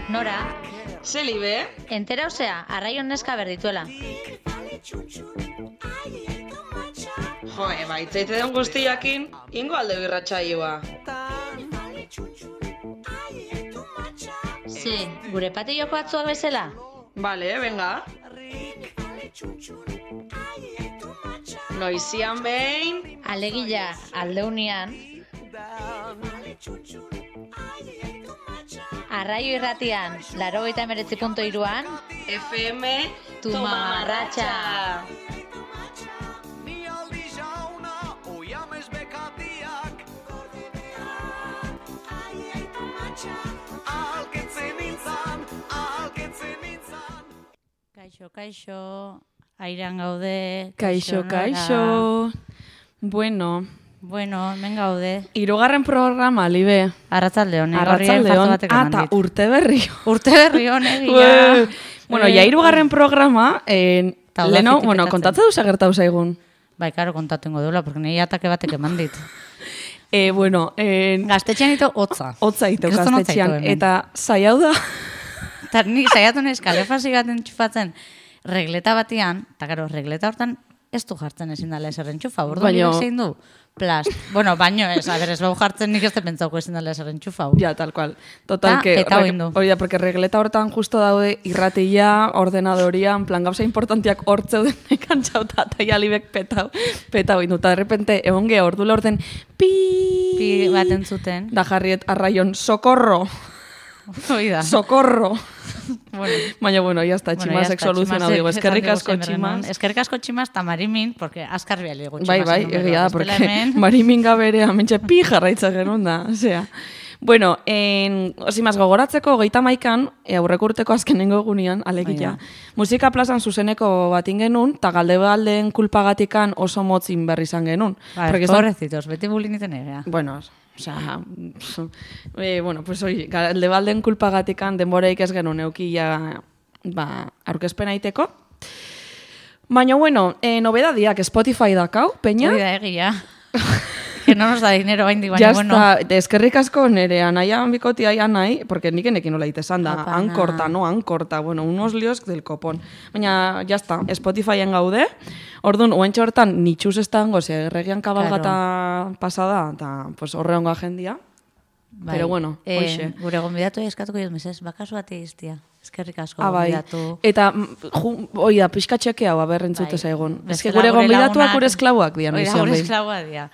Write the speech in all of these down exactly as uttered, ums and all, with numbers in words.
Nora, Zelibe? entera osea, arraion neska berdituela. Joe, baitzaite den guztiakin, ingo alde birratxaioa. Ze, gure patilloko atzua bezala? Bale, venga. Noizian behin, Alegia, aldeunian. Arraio irratian, laurogeita hemeretzi puntu hiruan, F M Tu mamarratxa. Kaixo, kaixo, airean gaude. Kaixo, Nora. kaixo. Bueno, Bueno, hemen gaude. hirugarren programa, Libe. Arratzaldeon, Arratzaldeon. Ah, eta urte berri. Urte berri honek, Ue. Bueno, ja hirugarren programa, eh, Ta leno, udafitik bueno, petatzen. kontatze duza gertau zaigun. Bai, karo, kontatu ingo duela, porque nire atake batek eman dit. Eh, bueno, eh, Gaztetxean ito hotza. hotza iteu Kriston hotza gaztetxean. ito hemen. Eta zaiau da, Eta ni saiatu naiz kalefasi bat entxufatzen regleta batian, eta karo, regleta hortan ez du jartzen ezin dela eser entxufa, ordu Baino- nire zein du? Plast. Bueno, baino ez, a ber, ez bau jartzen nik ez te pentsauko ezin dela eser entxufa. ja, tal cual. Total, Ta, que, petau horrek- indu. hori da, porque regleta hortan justo daude irratia, ordenadoria, en plan gauza importantiak hortzeu denekan txauta, eta ja libek petau, petau indu. Eta de repente, egon geha ordula orden, pi, Pi bat entzuten. da jarriet arraion, socorro, Hoi da. socorro. Bueno, Baina, bueno, ya está, bueno, tximasek ya está, soluzionatu tximasek digo, eskerrik esan asko digu zein berrenon. tximas. Eskerrik asko tximas eta marimin, porque azkar biali gu Bai, bai, egia da, porque hemen, marimin gabere amentxe pi jarraitza genuen da, osea. Bueno, en, osimaz, gogoratzeko geita maikan, e, aurreko urteko azkenengo egunean, alegia, Bai, musika plazan zuzeneko batin genuen, eta galde baldeen kulpagatikan oso motzin berri izan genuen. Bai, Porque esan- pobrecitos, beti buliniten egea. Bueno, o sea, eh, bueno, pues hori, galde balden kulpagatikan denboreik ez genuen eukia, ba, aurkezpen aiteko. Baina, bueno, eh, nobedadiak Spotify dakau, peña. Hori da egia. Que no nos da dinero baindik, baina Ya bueno. está, eskerrik asko nere anaian bikotia ia nahi, porque nik enekin nola itesan da, Apana. ankorta, no, ankorta, bueno, unos líos del copón. Baina, ya está, Spotifyen gaude, orduan, oentxe hortan, nitxuz ez dango, ze erregian kabalgata pasada, eta pues, horre hongo agendia. Bai. Pero bueno, Eh, hoxe. Gure gonbidatu eskatuko jod mesez, bakasu bati iztia. Eskerrik asko Ah, bai. gonbidatu. Eta, mm, ju, oi da, pixka txeke hau, aberrentzute Bai. zaigun. Ez que Bestela gure gonbidatuak lagunak- gure esklauak dian. Hori da, izan gure behin. esklaua dia.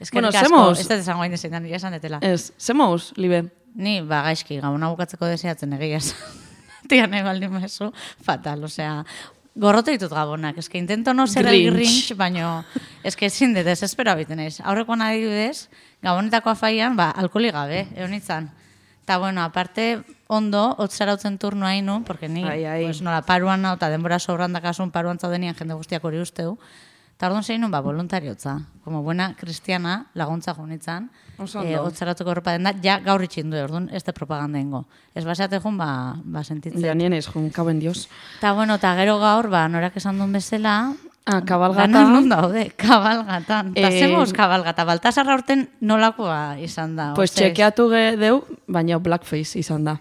Eskerrik Bueno, asko, zemoz. ez dut esango hain dezein, nire esan detela. Ez, zemouz, libe. Ni, ba, gaizki, gabona bukatzeko deseatzen egia esan. Tia nahi baldin mezu, fatal, osea, gorrote ditut gabonak, eske intento no ser el Grinch. Grinch, baino, eske ezin dut, desespero biten naiz. Aurrekoan adibidez, gabonetako afaian, ba, alkoholi gabe, egon itzan. Eta, bueno, aparte, ondo, hotzarautzen turno hainu, porque ni, Ai, ai. pues, nola, paruan nau, eta denbora sobran dakasun, paruan zaudenian jende guztiak hori usteu. Eta orduan zein nun, ba, voluntariotza. Como buena kristiana, laguntza junitzan. Oso Eh, ondo. hotzaratuko erropa den da, ja gaur itxin du, orduan, ez de propaganda ingo. Ez baseate jun, ba, ba sentitzen. Ja, nien ez, jun, kaben dios. Eta, bueno, eta gero gaur, ba, norak esan duen bezala, Ah, kabalgata. Danak non daude, kabalgatan. Eta Eh, zemoz kabalgata, Baltasarra urten nolakoa izan da. Pues ostez, txekeatu ge deu, baina blackface izan da.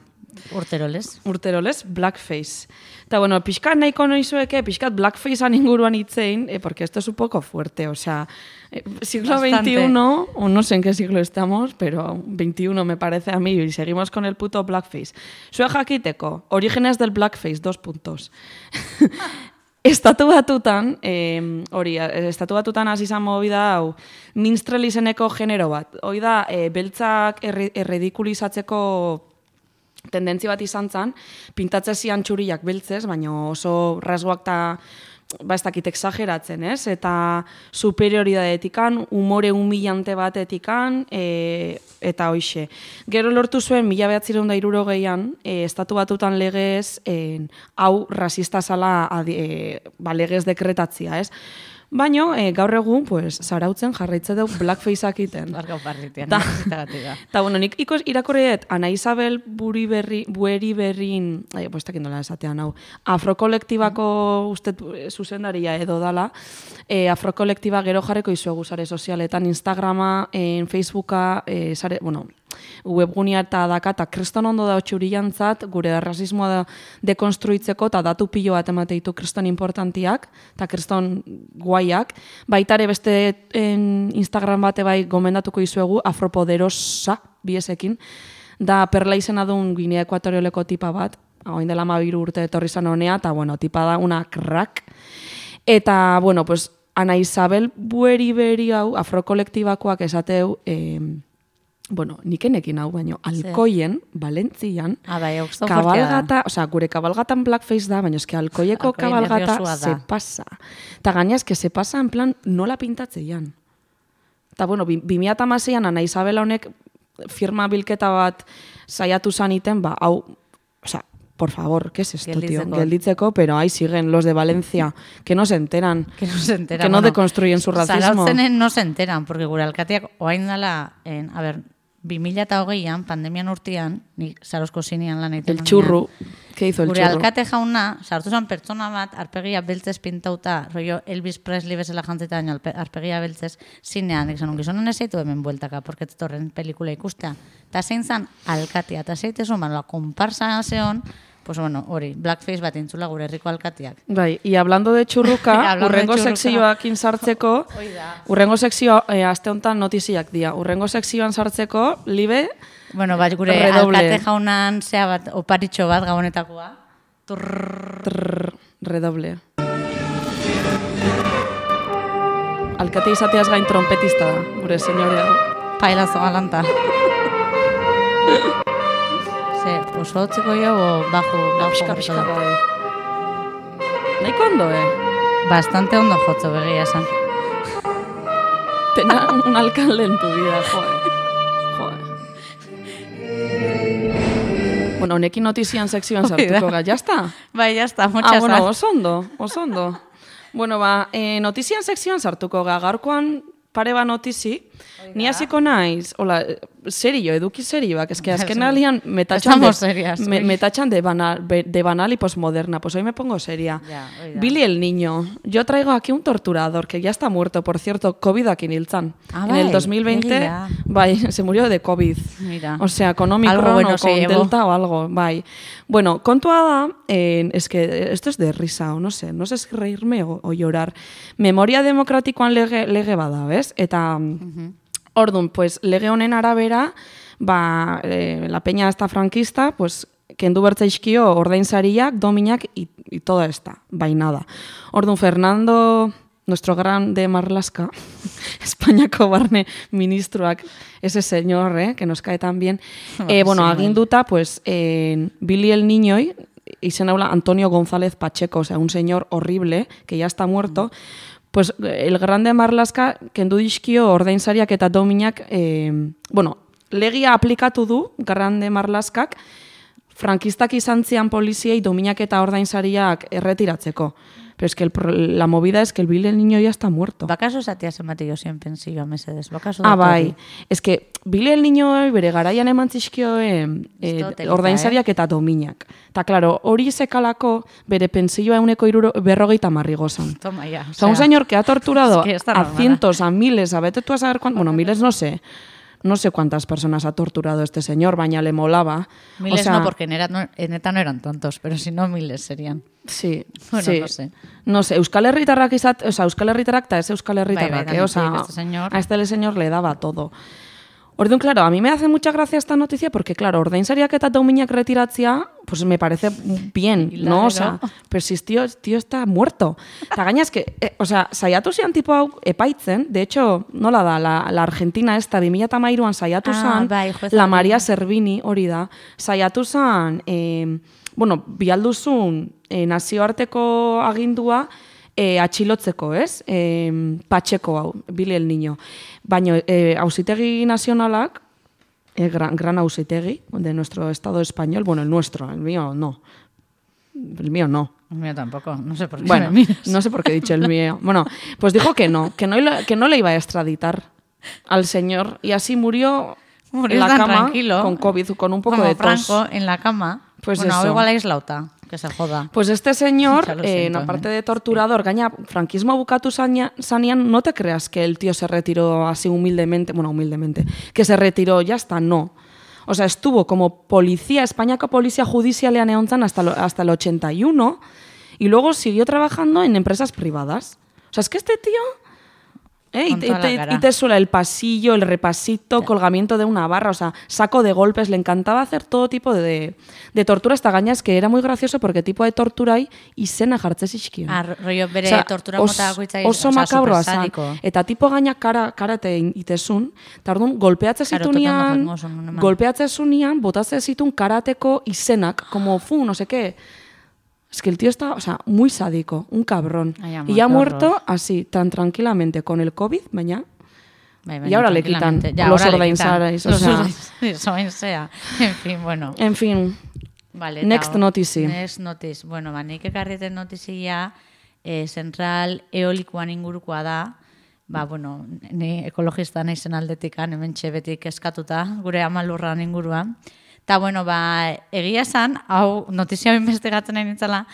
Urterolez. Urterolez, blackface. Eta bueno, pixkat nahiko noizueke, pixkat blackfacean inguruan itzein, eh, porque esto es un poco fuerte, o sea, eh, siglo Bastante. veintiuno, o no sé en qué siglo estamos, pero veintiuno me parece a mí, y seguimos con el puto blackface. Zue jakiteko, orígenes del blackface, dos puntos. Estatu batutan, eh, hori, estatu batutan hasi izan movida hau, minstrel izeneko genero bat. Hoi da, eh, beltzak erri- erredikulizatzeko tendentzia bat izan zen, pintatze zian txuriak beltzez, baina oso rasgoak eta ba ez dakit exageratzen, ez? Eta superioridadeetikan, umore humillante batetikan, e, eta hoixe. Gero lortu zuen, mila behatzireun da hirurogeian, e, estatu batutan legez, e, hau rasista zala adi, e, ba, legez dekretatzia, ez? Baina, e, gaur egun, pues, zarautzen jarraitze dut blackfaceak iten. Barkau parritian. Ta, Ta, ta bueno, nik ikos irakorriet Ana Isabel buri berri, bueri berrin, ai, pues, takin dola esatean hau, afrokolektibako uste zuzendaria edo dala, e, afrokolektiba gero jarreko izuegu sare sozialetan, Instagrama, en Facebooka, e, sare, bueno, webgunia eta daka, eta kriston ondo da txuriantzat, gure rasismoa da dekonstruitzeko, eta datu pilo bat emateitu kriston importantiak, eta kriston guaiak. Baitare beste en Instagram bate bai gomendatuko izuegu, Afropoderosa, biesekin, da perla izena duen Guinea Ekuatorioleko tipa bat, hain dela mabiru urte etorri zan honea, eta bueno, tipa da una crack. Eta, bueno, pues, Ana Isabel bueri beri hau, afrokolektibakoak esateu, eh, bueno, nikenekin hau, baino, Alkoien, Valentzian, ah, bai, kabalgata, osea, gure kabalgatan blackface da, baina eske Alkoieko kabalgata se pasa. Ta gaina eske se pasa en plan nola pintatzeian. Ta bueno, bi mila hamaseian Ana Isabela honek firma bilketa bat saiatu zaniten, ba, hau, osea, por favor, ¿qué es esto, Gelditzeko. tío? Gelditzeko, pero ahí siguen los de Valencia, que no se enteran. Que no se enteran. Que no bueno, deconstruyen su racismo. Zarautzenen no se enteran, porque gure alkateak oain dala, en, a ver, bi mila hogeian, pandemian urtean, nik Zarautzko zinean lan egiten. El churru, ¿qué hizo el gure churru? Gure alkate jauna, sartu zen pertsona bat, arpegia beltzez pintauta, rollo Elvis Presley bezala jantzeta, arpegia beltzez, zinean, ikzan, gizonen ez zeitu hemen bueltaka, porque torren pelikula ikustea. Ta zein zan alkatea, ta zeitezun, la komparsa zeon, pues bueno, hori, blackface bat intzula gure herriko alkatiak. Bai, y hablando de churruka, urrengo sekzioakin sartzeko, urrengo sekzioa, eh, aste honetan notiziak dira, urrengo sekzioan sartzeko, libe, bueno, bai, gure redoble. Alkate jaunan zea bat, oparitxo bat gabonetakoa. Trrrr. Trrrr, redoble. Alkate izateaz gain trompetista da, gure senyorea. Pailazo galanta. Ze, oso hotzeko jo, o bajo, bajo, pixka, bai. Nahiko ondo, eh? Bastante ondo jotzo begia esan. Tena un alcalde en tu vida, joe. Joe. Bueno, honekin notizian sekzioan sartuko ga, jazta? Bai, jazta, muchas ah, bueno, oso ondo, oso ondo. Bueno, ba, eh, notizian sekzioan sartuko ga, gaurkoan pare ba notizi, ni hasiko naiz, hola, serio, eduki serioak, eske azken alian metatxan de, me, metatxan de, banal, de banal y postmoderna, pues hoy me pongo seria. Ya, Billy el niño, yo traigo aquí un torturador que ya está muerto, por cierto, COVID-akin hiltzan. Ah, en el dos mil veinte, bai, se murió de COVID. Mira. O sea, con Omicron bueno, o con Delta o algo, bai. Bueno, kontua da, eh, es que esto es de risa, o no sé, no sé si reírme o, o llorar. Memoria demokratikoan lege, lege bada, ¿ves? Eta... Uh-huh. Ordun, pues, lege honen arabera, ba, eh, la peña esta franquista, pues, kendu bertzaizkio ordainsariak, dominak y, y toda esta, bainada. Ordun, Fernando, nuestro grande Marlaska, Espainiako barne ministroak, ese señor, eh, que nos cae tan bien, eh, bueno, aginduta, pues, eh, Billy el Niñoi, izen habla Antonio González Pacheco, o sea, un señor horrible, que ya está muerto, pues el grande Marlaska kendu dizkio ordainsariak eta dominak, eh, bueno, legia aplikatu du grande Marlaskak frankistak izan zian poliziei dominak eta ordainsariak erretiratzeko. Pero es que el, la movida es que el Billy el Niño ya está muerto. Bakaso zatea zenbatio zien pensioa mesedes. Bakaso ah, bai. Es que Billy el Niño bere garaian eman zizkio eh, eh, ordainsariak eh? eta dominak. Ta claro, hori sekalako bere pensioa euneko iruro, berrogeita marri gozan. Toma ya. O sea, un señor que ha torturado es que a cientos, a miles, a vete tú a saber cuántos, bueno, miles no sé. No sé cuántas personas ha torturado este señor, baina le molaba. Miles o sea, no, porque en, era, no, en neta no eran tontos, pero si no miles serían. Sí, bueno, sí. no sé. No sé, Euskal Herritarrak izat, o sea, Euskal Herritarrak ta es Euskal Herritarrak, bai, bai, eh, o sea, este señor. a este señor le daba todo. Orduan, claro, a mí me hace mucha gracia esta noticia porque, claro, ordainsariak eta dominak retiratzea, pues me parece bien, ¿no? O sea, pero si tío, tío está muerto. Ta gaina es que, eh, o sea, saiatu zian tipo hau epaitzen, de hecho, nola da, la, la Argentina esta, bi mila hamairuan saiatu zan, ah, bai, la María Servini, hori da, saiatu zan, eh, bueno, bialduzun eh, nazioarteko agindua, E, atxilotzeko, ez? E, Patxeko hau, Billy el Niño. Baina, e, auzitegi nazionalak, e, gran, gran auzitegi de nuestro Estado español, bueno, el nuestro, el mío no. El mío no. Mío tampoco, no sé por qué Bueno, me miras. no sé por qué he dicho el mío. Bueno, pues dijo que no, que no, que no le iba a extraditar al señor y así murió, Murió en la tan cama tranquilo, con COVID, con un poco como de tos. Franco en la cama. Pues bueno, eso. hau igual aislauta, que se joda. Pues este señor, Ya lo eh, siento, aparte eh. de torturador, gaña, franquismo bukatu zaina- zanean, no te creas que el tío se retiró así humildemente, bueno, humildemente, que se retiró, ya está, no. O sea, estuvo como policía, Espainiako polizia judizialean egon zan hasta, lo- hasta el ochenta y uno y luego siguió trabajando en empresas privadas. O sea, es que este tío... Eh, y, Con te, toda la y te- cara. y te suela el pasillo, el repasito, colgamiento de una barra, o sea, saco de golpes, le encantaba hacer todo tipo de, de tortura. Esta gaña es que era muy gracioso porque tipo de tortura hay izena jartze zizkion. Ah, rollo bere Osea, tortura os- mota bakoitza oso osea, makabroa zan. supersadiko. Eta tipo gaina kara, karate itezun, eta orduan golpeatze Claro, zitunean, tokando jengo oso, nun eman. golpeatze zunean, botatze zitun karateko izenak, como fu, no sé qué. Es que el tío está, o sea, muy sádico, un cabrón. Ay, amor, y ya ha qué muerto horror. así, tan tranquilamente, con el COVID, baina. Bai, Y baina ahora le quitan tranquilamente. Ya, los ahora le ordainsarais, quitan o sea. los ordainsarais, sea. En fin, bueno. En fin, Vale, next eta, notici. Next notice. Bueno, ba, nik ekarrieten notizia eh, zentral eolikoan ingurukoa da. Ba, bueno, ni ekologista naizen aldetikan, hemen betik eskatuta, gure amalurran inguruan. Eta, bueno, ba, egia esan, hau notizia investigatzen nahi nintzala,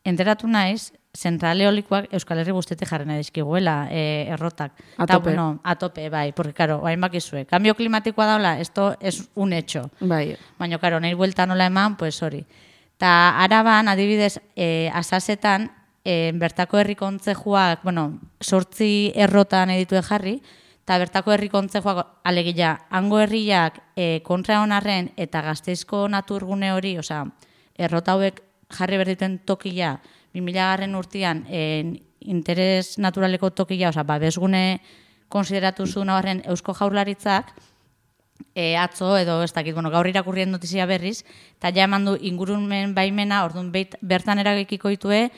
enteratu naiz, zentral eolikoak Euskal Herri guztetik jarri nahi dizkiguela, eh, errotak. A Ta, tope. bueno, a tope, bai, porque, claro, hain bakizue. Cambio klimatikoa daula, esto es un hecho. Bai, Baina, karo, nahi buelta nola eman, pues hori. Ta araban, adibidez, eh, asasetan, eh, bertako herri kontzejuak, bueno, sortzi errotan editue jarri, eta bertako herri kontzejuak, alegia, hango herriak eh, kontra honarren eta Gasteizko naturgune hori, osea, errota hauek jarri berdituen tokia, bi mila garren urtean, eh, interes naturaleko tokia, osea, babesgune konsideratu zuen horren Eusko Jaurlaritzak, E, atzo edo ez dakit, bueno, gaur irakurrien notizia berriz, eta ja eman du ingurumen baimena, orduan beit, bertan eragikiko ditue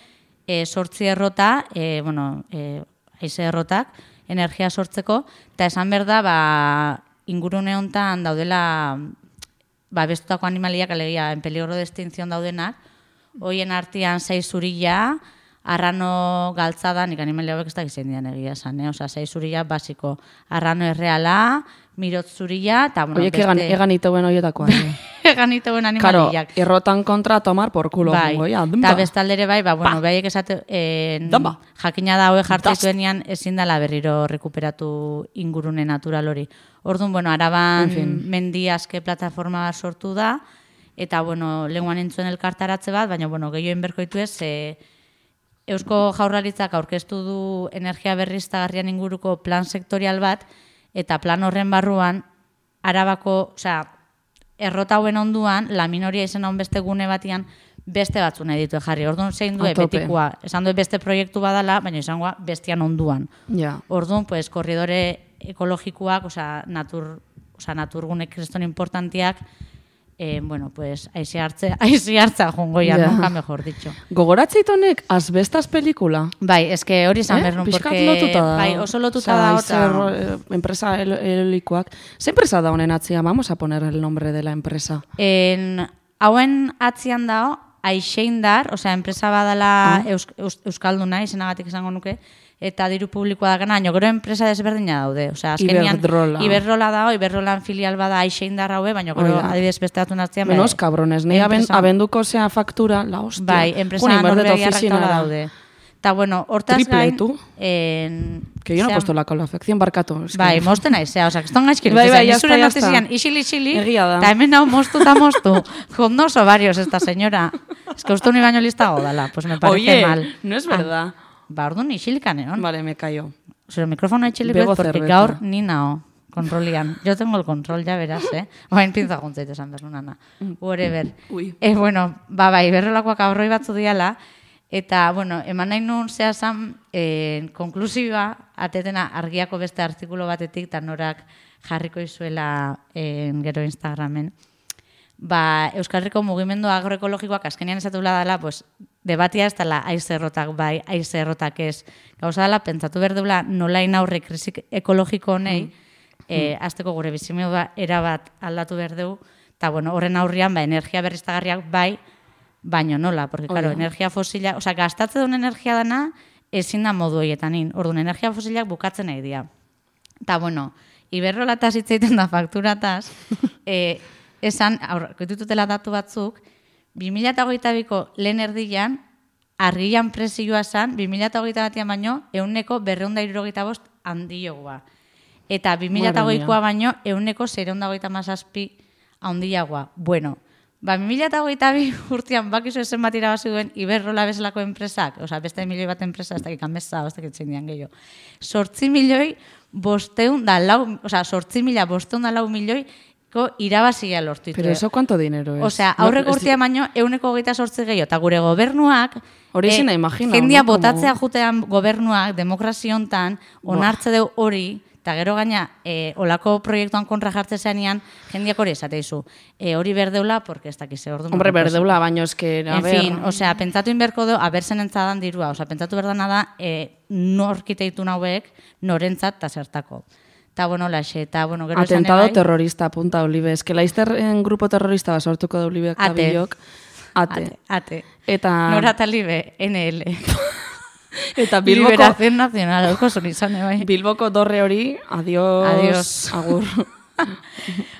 e, sortzi errota, e, bueno, e, haize errotak, energia sortzeko, eta esan behar da, ba, ingurune hontan daudela, ba, bestutako animaliak, alegia, en peligro de extinción daudenak, hoien artean sei zurila, arrano galtzada, nik animalia hauek ez da gizien dian egia esan, eh? Osa, sei zurila basiko, arrano erreala, mirot zurila, eta, bueno, oiek egan, egan iteuen horietakoa. egan iteuen Karo, animaliak. errotan kontra tomar por culo. Bai, Bai, ja, eta bestaldere bai, ba, bueno, baiek esate, en, Damba. jakina da hoe jartzen Dust. zuenean ezin dela berriro rekuperatu ingurune natural hori. Orduan, bueno, Araban En fin. mendi aske plataforma bat sortu da, eta, bueno, lenguan entzuen elkartaratze bat, baina, bueno, gehioen berkoitu ez, e, Eusko Jaurlaritzak aurkeztu du energia berriztagarrian inguruko plan sektorial bat, eta plan horren barruan, Arabako, osea, errota hauen onduan, la minoria izena hon beste gune batian, beste batzu nahi ditue jarri. Orduan zein du A tope. betikoa, esan du beste proiektu badala, baina izangoa bestian onduan. Ja. Orduan, pues, korridore ekologikoak, osea, natur, osea, naturgune kriston importantiak, eh, bueno, pues, aizi hartze, aizi hartza jongoia, Ja. nunca mejor dicho. Gogoratzeit honek asbestas pelikula. Bai, eske hori izan Eh? behar nun, Pixkat porque, lotuta da. bai, oso lotuta Osea, da, haize eta... erro- eh, enpresa el- eolikoak. ¿Ze empresa da honen atzian? Vamos a poner el nombre de la empresa. En, hauen atzian dao, Aixeindar, osea, enpresa badala Ah. eus, eus, Euskalduna, izenagatik esango nuke, eta diru publikoa da gana, gero enpresa desberdina daude. Osea, azkenian, Iberdrola. Iberdrola dago, Iberdrolan filial bada Aixeindar haue, baina gero Hori da. adibidez beste batun atzian. Menos cabrones. Nei aben, enpresa- abenduko zea faktura, la hostia. Bai, enpresa Juni, berde norbegiarrak ofizinara. taula daude. Eta, bueno, hortaz Triple, gain... tú. En, Que yo no he osea, puesto la calefacción, barkatu. Es que- Bai, mosten naizea, osea, kriston gaizkiri. Bai, bai, ya zure está, ya está. notizian, isili-isili, Egia da. eta hemen hau mostu eta mostu. Con dos ovarios esta señora. Es que uste uni baino listago dala, pues me parece Oye, mal. no es verdad. Ah, ba, orduan isilikan egon. Vale, me callo. Zure mikrofono itxilik Bebo bez, porque cerveza. gaur ni nao, kontrolian. Yo tengo el control, ya verás, eh? Oain pinza guntzait esan behar nana. Whatever. Ui. Eh, bueno, ba, bai, berrolakoak aurroi batzu diala, eta, bueno, eman nahi nun zehazan, eh, konklusiba, atetena argiako beste artikulo batetik, eta norak jarriko izuela eh, gero Instagramen. Ba, Euskal Herriko mugimendu agroekologikoak azkenean esatula dela, pues, debatia ez dela haize errotak bai, haize errotak ez. Gauza dela, pentsatu behar dela nolain aurre krisik ekologiko honei, eh, azteko gure bizimodua erabat aldatu behar dugu, eta bueno, horren aurrian, ba, energia berriztagarriak bai, baino nola, porque, claro, Oida. energia fosila, osea, gastatze duen energia dana, ezin da modu hoietanin. Orduan, energia fosilak bukatzen nahi dira. Eta, bueno, Iberrolataz hitz egiten da fakturataz, e, esan, aurkitutela datu batzuk, bi mila hogeita biko lehen erdian, argian presioa esan, bi mila hogeita batian baino, euneko berreunda irurogeita bost handiogoa. Eta bi mila hogeikoa baino, euneko zereunda hogeita mazazpi handiagoa. Bueno, ba, bi mila hogeita bi urtean bakizu esen bat irabazi duen Iberrola bezalako enpresak, oza, beste milioi bat enpresa, ez dakik amesa, ez dakik txindian gehiago. Sortzi milioi bosteun da lau, oza, sortzi mila bosteun da lau milioi irabazia lortu. Pero eso cuánto dinero es? Osea, aurreko no, urtea baino euneko hogeita sortzi gehiago, eta gure gobernuak, hori ezin da imagina, jendia no? botatzea jutean gobernuak, demokrazia hontan, onartze deu hori, eta gero gaina, e, olako proiektuan kontra jartze zenean, jendiak hori esateizu. E, hori berdeula, porque ez dakize ordu. Hombre, berdeula, baino eske, a en ver... fin, osea, pentsatu inberko du, abertzen entzadan dirua, osea, pentsatu berdana da, e, norkiteitu nauek, norentzat eta zertako. Eta, bueno, laxe, eta, bueno, gero esan Atentado ebai, terrorista, apunta Olive. Es que laizter en grupo terrorista basortuko da Olive Kabilok. Ate. Ate, ate. Eta... Nora talibe, N L. Eta Bilboko... Liberación Nacional, hauko zon izan, ebai. Bilboko dorre hori, adiós, Adiós. agur.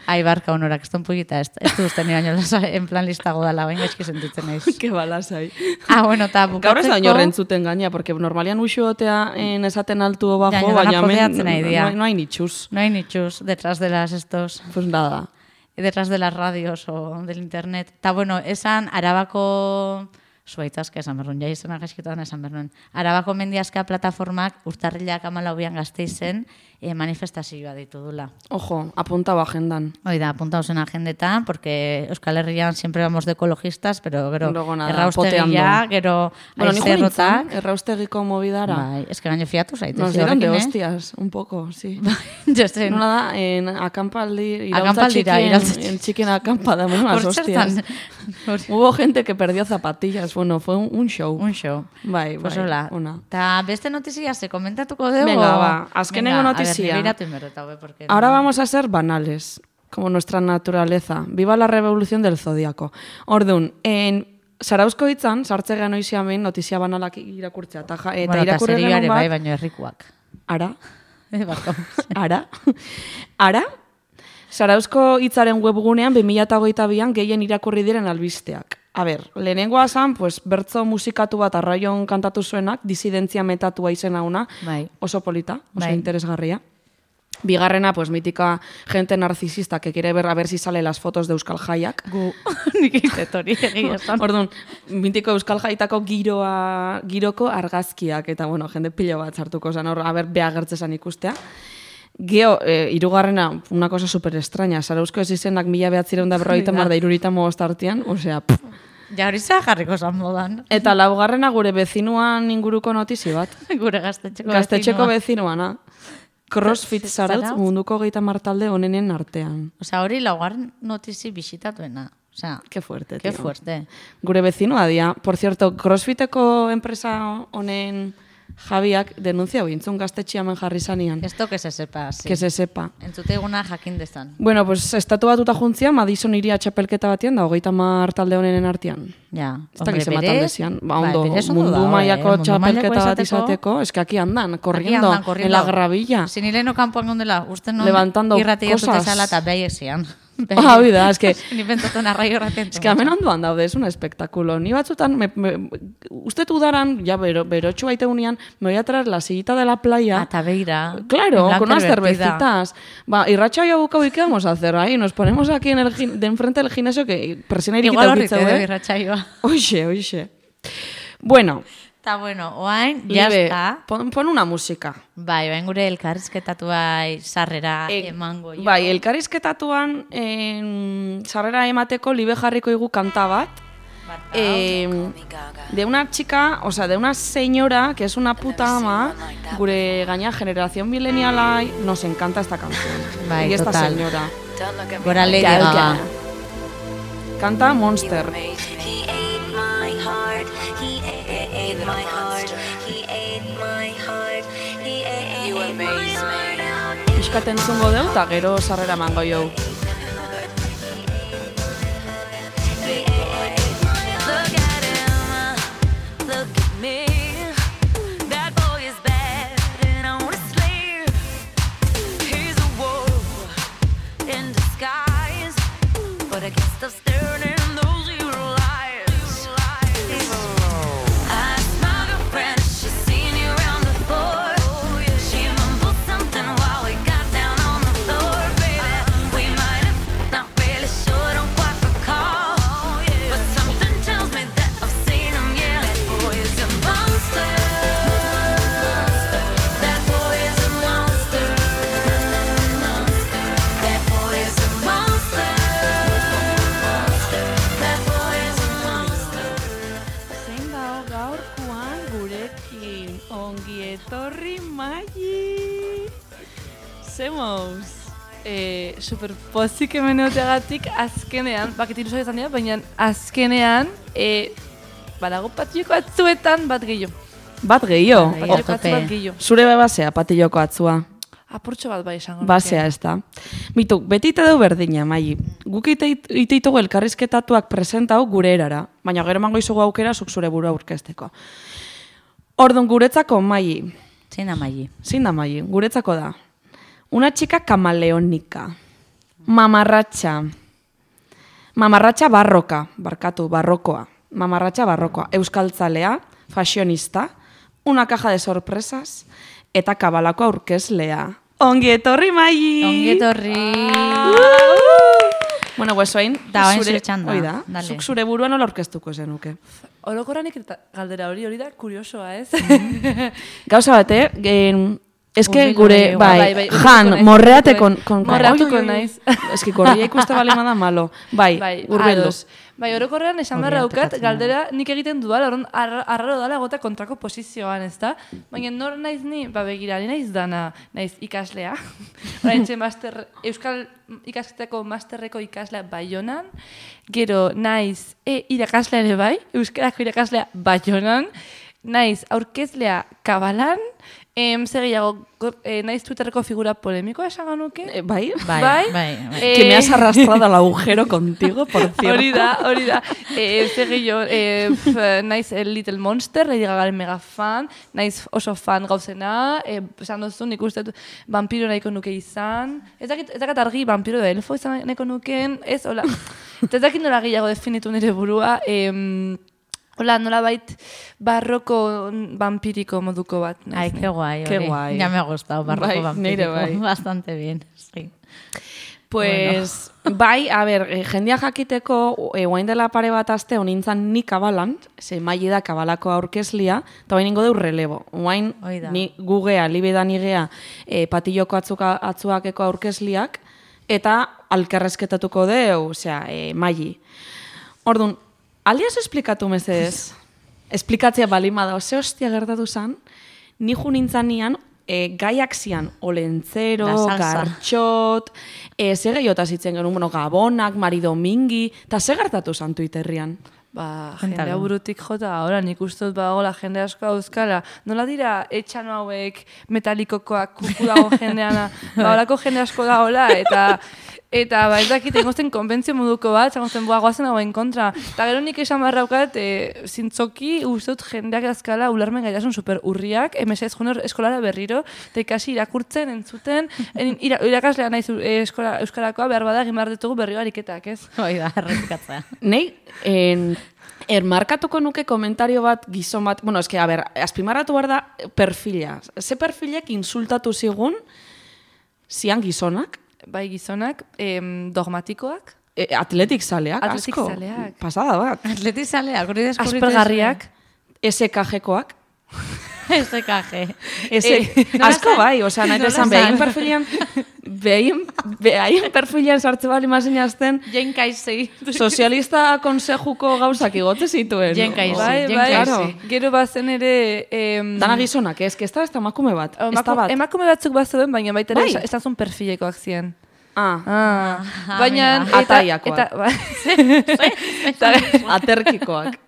Ai, barka honorak, ez ton pugita, ez, ez du usten baino en plan listago dala, baina eski sentitzen naiz. Que balasai. Ah, bueno, eta bukatzeko... Gaur ez da oino rentzuten gaina, porque normalian uxuotea en esaten altu o bajo, Ja, baina dana hemen podeatzen nahi no, dira. no hay ni chus. No hay ni chus detrás de las estos... Pues nada. Detrás de las radios o del internet. Eta, bueno, esan Arabako... Zuaitzazka esan berruen, ja izena gaizkitoan esan berruen. Arabako mendiazka plataformak urtarrilak amalaubian Gasteizen e, manifestazioa ditu dula. Ojo, apuntado agendan. Hoi da, apuntaos en agendetan, porque Euskal Herrian siempre vamos de ecologistas, pero gero Luego nada, erraustegia, poteando. gero Bueno, nijo aizerrotak. nintzen, erraustegiko movidara. Bai, es que gaino fiatu zaitez. Nos dieron de horrekin, eh? hostias, un poco, sí. Jo zen. Nola da, en akampaldi, irautza Akampaldira, txikien, irautza en txikien acampada, unas hostias. Hubo gente que perdió zapatillas, bueno, fue un, un show. Un show. Bai, Pues bai, hola. ona. Ta beste notizia ze komentatuko dugu. Venga, ba, azkenengo Venga, notizia. A ver, nibiratu inberreta, hobe, porque... Ahora vamos a ser banales, como nuestra naturaleza. Viva la revolución del zodiaco. Ordun, en Zarauzko hitzan, sartze gano iziamen notizia banalak irakurtzea. Eta, ja, eta bueno, irakurri serioare genuen bai, bat, baino herrikoak. ara, Eh, barkau. ara, ara, Zarauzko hitzaren webgunean bi mila hogeita bian gehien irakurri diren albisteak. A ber, lehenengoa zan, pues, bertzo musikatu bat arraion kantatu zuenak, disidentzia metatua izena una, Bai. oso polita, oso Bai. interesgarria. Bigarrena, pues, mítica gente narcisista que quiere ver a ver si sale las fotos de Euskal Jaiak. Gu, nik izet hori egia esan. Orduan, mitiko Euskal Jaitako giroa, giroko argazkiak, eta, bueno, jende pilo bat sartuko zen, hor, a ber, beagertze zen ikustea. Geo, eh, irugarrena, una cosa super extraña, Zarauzko ez izenak mila behatzireun da berroita mar da irurita mogostartian, osea, pff. Ja hori za jarriko zan modan. Eta laugarrena gure bezinuan inguruko notizi bat. Gure gaztetxeko Gaztetxeko bezinua. bezinuana. CrossFit Zarautz Zarautz? munduko geita martalde onenen artean. Osea, hori laugarren notizi bisitatuena. Osea, Qué fuerte, qué tío. fuerte. Gure bezinua dia. Por cierto, CrossFiteko enpresa honen Javiak denuntzia bintzun gaztetxia hemen jarri zanian. Esto que se sepa, sí. Que se sepa. Entzute eguna jakin dezan. Bueno, pues estatu batuta juntzia, Madison iria txapelketa batian da, hogeita mar talde honenen artean. Ja, Ez dakiz ema talde zian. Ba, ondo, berez ondo mundu dago, mailako eh? Mundu txapelketa mailako bat izateko, es que aquí andan, corriendo, Aquí andan, corriendo. en la gravilla. Zinileno kanpoan gondela, uste non Levantando irratia cosas. zutezala eta behaiek zian. Ah, hoi da, es que... Ni pentsatu narraio erraten. Es que hemen ondoan daude, es un espectáculo. Ni batzutan, me, me, usted udaran, ya bero, berotxu baite unian, me voy a traer la sillita de la playa. Ata beira. Claro, en con unas blanca divertida. cervecitas. Va, y Racha y Abucau, ¿y qué vamos a hacer ahí? Nos ponemos aquí en el, gin- de enfrente del gimnasio que presiona irikita Igual horrite ukitzeu, de eh? birratxaioa. Oixe, oixe. Bueno, Eta bueno, oain, ya Libe, está. pon, pon una música. Bai, bain gure elkarrizketatu bai sarrera E, emango. jo. bai, elkarrizketatuan en, sarrera emateko libe jarriko igu kanta bat. Eh, de una chica, o sea, de una señora que es una puta ama, gure gaina generación mileniala, nos encanta esta canción. Bai, y esta total. señora. Gora Lady Gal Gaga. Gaga. Canta Monster. He ate my heart, he ate my heart, he ate my heart, he ate my heart. Piskaten zungo deu, eta gero sarrera mango jau. Look gaurkoan gurekin ongi etorri Maili. Zemoz? Eh, super pozik hemen egoteagatik azkenean, bakit ilusioa izan dira, baina azkenean eh, badago patilloko atzuetan bat gehiago. Bat gehiago. Patilloko atzu bat gehiago. Zure bebasea patilloko atzua. Apurtxo bat bai esango. Basea ez da. Bitu, beti ite du berdina, Maili. Guk ite itugu elkarrizketatuak presentau gure erara, baina gero emango izugu aukera zuk zure burua aurkezteko. Ordun guretzako, Maili. Zein da Maili? Zein da Maili? Guretzako da. Una chica camaleónica. Mamarratxa. Mamarratxa barroka, barkatu, barrokoa. Mamarratxa barrokoa. Euskaltzalea, fashionista, una caja de sorpresas, eta kabalako aurkezlea. Ongi etorri, Maili! Ongi etorri! Bueno, pues oain, Da, oain zure txanda. Hoi da, Dale. zuk zure burua nola aurkeztuko zenuke. Orokorranik eta galdera hori hori da kuriosoa, ez? Gauza bate, gen... Eske Hurbil gure, hori, bai, bai, bai, Jan, hurbilduko naiz, morreate hurbilduko con... naiz. con Morreatuko Oi, oi, oi. naiz. Eski korria ikuste bali da malo. Bai, Bai, hurbildu. ados. Bai, orokorrean esan Hori behar daukat, ateratzen galdera nik egiten dudala, orduan ar- arraro dala gota kontrako posizioan, ezta? Baina nor naiz ni, ba begira, ni naiz dana, naiz ikaslea. Oraintxe master, Euskal ikasketako masterreko ikaslea Baionan, gero naiz e irakaslea ere bai, Euskarako irakaslea Baionan, naiz aurkezlea Kabalan, em, zer gehiago, go- eh, naiz Twitterreko figura polemikoa esan ganuke? Eh, bai? Bai, Bai? bai, bai. Eh, Que me has arrastrado al agujero contigo, por cierto. Hori da, hori da. Eh, zer gehiago, eh, f- naiz el Little Monster, Lady Gagaren mega fan, naiz oso fan gauzena, eh, esan duzu, nik uste dut vampiro nahiko nuke izan. Ez dakit, ez dakit argi vampiro da elfo izan nahiko nukeen, ez, hola. Eta ez dakit nola gehiago definitu nire burua, em, hola, nola bait barroko vampiriko moduko bat. Ai, naiz, qué guay, Qué hori. guai. Ya me ha gustado, barroco Bai, nire vampírico. bai. Bastante bien, sí. Pues, bai, a ber, eh, jendia jakiteko, eh, oain dela pare bat aste honintzan ni kabalan, ze Maili da kabalako aurkezlia, eta oain ingo deu relebo. Oain, Hoi da. ni gugea, libeda nigea, eh, patilloko atzuka, atzuakeko aurkezliak, eta alkarrezketatuko deu, osea, eh, Maili. Ordun, alias esplikatu mesedez, esplikatzea balima da, ze hostia gertatu zan, ni ju nintzanean, e, gaiak zian, olentzero, Da salsa. gartxot, e, ze gehiotaz hitzen genuen, bueno, gabonak, Mari Domingi, eta ze gertatu zan Twitterrian? Ba, Cuéntalo. jendea burutik jota, ahora nik uste dut badagoela jende asko euskala. Nola dira etxano hauek metalikokoak kuku dago jendeana, ba, horako jende asko dagoela, eta eta ba, ez dakit, egozten konbentzio moduko bat, egozten boa goazen hauen kontra. Eta gero nik esan barraukat, e, zintzoki uste dut jendeak azkala ularmen gaitasun super urriak, emesez joner eskolara berriro, eta ikasi irakurtzen, entzuten, en, ira, irakaslea naiz e, eskola, euskarakoa behar bada egin behar ditugu berriro ariketak, ez? Hoi da, errepikatzea. Nei, en, ermarkatuko nuke komentario bat gizon bat, bueno, eske, a ber, azpimarratu behar da perfila. Ze perfilek insultatu zigun, zian gizonak, Bai gizonak, em, dogmatikoak, e, atletik zaleak, Atletik asko. zaleak. Pasada bat. Atleti zaleak, hori deskurritu. aspergarriak, S K G-koak. Ez ekaje. Ese, Eh, asko bai, osea, nahi nola esan, esan? behaien perfilian, behaien, behaien perfilian sartze bali mazen jazten, Jen kaizei. sozialista konsejuko gauzak igote zituen. Jen kaisi, bai, jen bai, kaisi. gero bazen ere... Em, Dana gizonak, ez, que ez da, ez da emakume bat, ez da emako- bat. Emakume batzuk bazeuden, baina baita ere Bai. bai. estazun perfilekoak ziren. Ah, Ah, Ah, baina... amiga. eta- Ataiakoak. Eta, bai. eta, aterkikoak.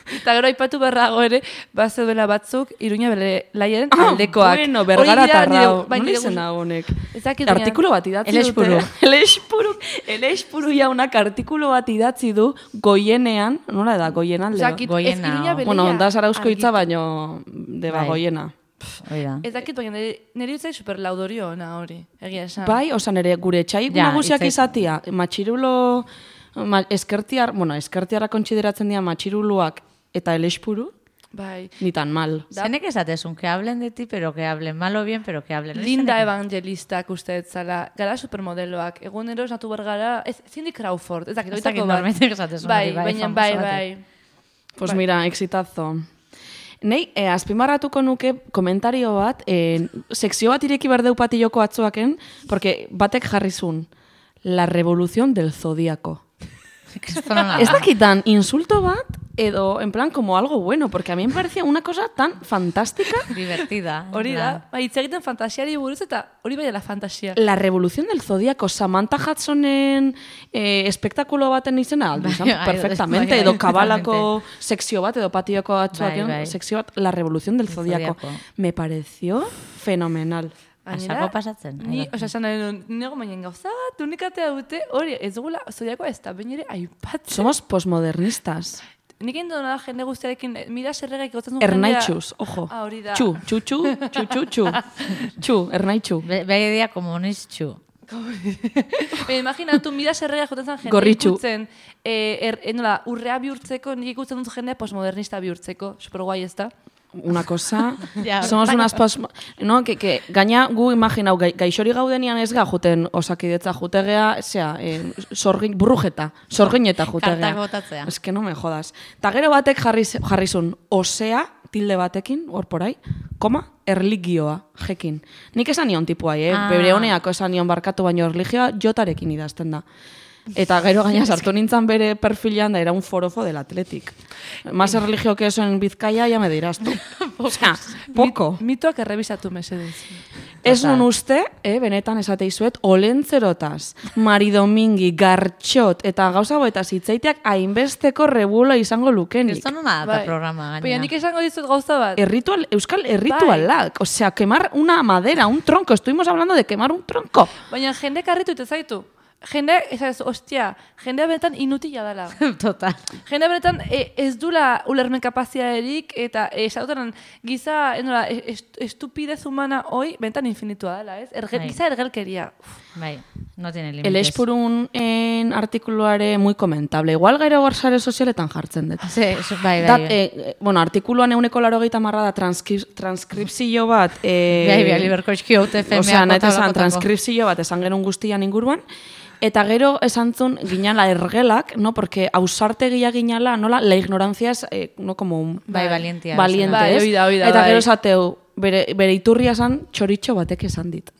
eta gero aipatu berrago ere, bazeudela batzuk, Iruña bere laiaren Ah, aldekoak. bueno, Hori bergara dira tarrao. nire- bai, Nola nire izena gust- honek? Ez dakit, baina- Artikulu bat idatzi El espuru. dute. El espuru. El espuru jaunak artikulu bat idatzi du goienean, nola da, goien alde? Ez dakit, ez Goiena, Iruña o- beleia Bueno, da zarauzko hitza, argitu. baino deba Bai. goiena. Hoi da. Ez dakit, baina nire, nire utzai super laudorio ona hori, egia esan. Bai, osa nere gure txai Ja, nagusiak hitzai- izatia, matxirulo, ma, eskertiar, bueno, eskertiarra kontsideratzen dira matxiruluak eta el espuru, Bai. ni tan mal. Zenek esatezun, que hablen de ti, pero que hablen mal o bien, pero que hablen. Linda Zenek- Evangelistak uste zala, gara supermodeloak, egunero esnatu bergara, ez, Cindy Crawford, ez dakit, Ez dakit oitako bat. norbaitek esatezun Bai, hori, bai, baina, famoso bai, batek. bai. Pues Bai. mira, exitazo. Nei, eh, azpimarratuko nuke komentario bat, eh, sekzio bat ireki berdeu patilloko atzuaken, porque batek jarri zun, la revolución del zodiaco. Ez dakitan insulto bat, edo en plan como algo bueno, porque a mí me parecía una cosa tan fantástica. Divertida. Hori da, ba, hitz egiten fantasiari buruz eta hori bai dela fantasia. La revolución del Zodíaco, Samantha Hudsonen eh, espektakulo baten izena, aldu izan, Bai, bai, perfectamente, bai, edo bai, kabalako sekzio bat, edo patioko batzuak, Bai, bai. sekzio bat, La revolución del Zodíaco. Zodiaco. Me pareció fenomenal. Asako pasatzen. Ni, Ai, osea, esan nahi nuen, nego baina gauza bat, unikatea dute, hori, ez dugula, Zodiakoa ez da, baina ere aipatzen. Somos posmodernistas. Nik egin dut nada jende guztiarekin, eh, mira zerregaik gotzen duen Ernaitxuz, ojo. Ah, hori da. Txu, txu, txu, txu, txu, txu. Txu, ernaitxu. Be, behi dia komunistxu. Baina imaginatu, mira zerregaik jotzen zen jende Gorritxu. ikutzen, eh, er, eh, nola, urrea bihurtzeko, nik ikutzen dut jendea postmodernista bihurtzeko, super guai ez da? Una cosa, Ja, somos unas pos... No, que, que gaina gu imaginau, gai, gaixori gaudenian ez ga juten osakidetza jutegea, zera, eh, sorgin, burrujeta, sorgineta jutegea. Kartak botatzea. Es que no me jodas. Ta gero batek jarri, jarrizun, osea, tilde batekin, hor porai, koma, erligioa, jekin. Nik esan nion tipuai, eh? Ah. Bebre honeako esan nion barkatu, baino erligioa jotarekin idazten da. Eta gero gaina sartu nintzen bere perfilean da era un forofo del Athletic. Más religio que eso en Bizkaia, ya me dirás tú. O sea, poco. Mit, mitoak errebisatu mesedez. Ez nun uste, eh, benetan esate izuet, olentzerotaz, maridomingi, gartxot, eta gauza boetaz hitzaiteak hainbesteko rebula izango lukenik. Esto nona da programa, gainera. Baina nik esango dizut gauza bat. Erritual, euskal erritualak, o sea, quemar una madera, un tronco, estuvimos hablando de quemar un tronco. Baina jende karritu ite zaitu. Jende, ez ez, ostia, jendea benetan inutila dela. Total. Jendea benetan e, ez dula ulermen kapaziaderik eta esauteran giza, enola, est, estupidez humana hoi benetan infinitua dela, ez? Erge, Bai. giza ergelkeria. Uf. Bai, no tiene límites. El Espurun en artikuluare muy comentable. Igual gero sare sozialetan jartzen dut. Sí, eso- bai, bai. Dat, bai. eh, bueno, artikuluan euneko larogeita marra da transkri- transkripzio bat. Eh, Bai, bai, Liberkoizki haute F M A Osea, nahi kota esan blokotako. transkripzio bat esan genuen guztian inguruan. Eta gero esan zuen ginala ergelak, no? Porque ausartegia ginala, nola, la ignorancia es, eh, no, como un... Bai, valientia. Valiente, Bai, ez? hori da, hori da, Eta bai. gero esateu, bere, bere iturria esan txoritxo batek esan dit.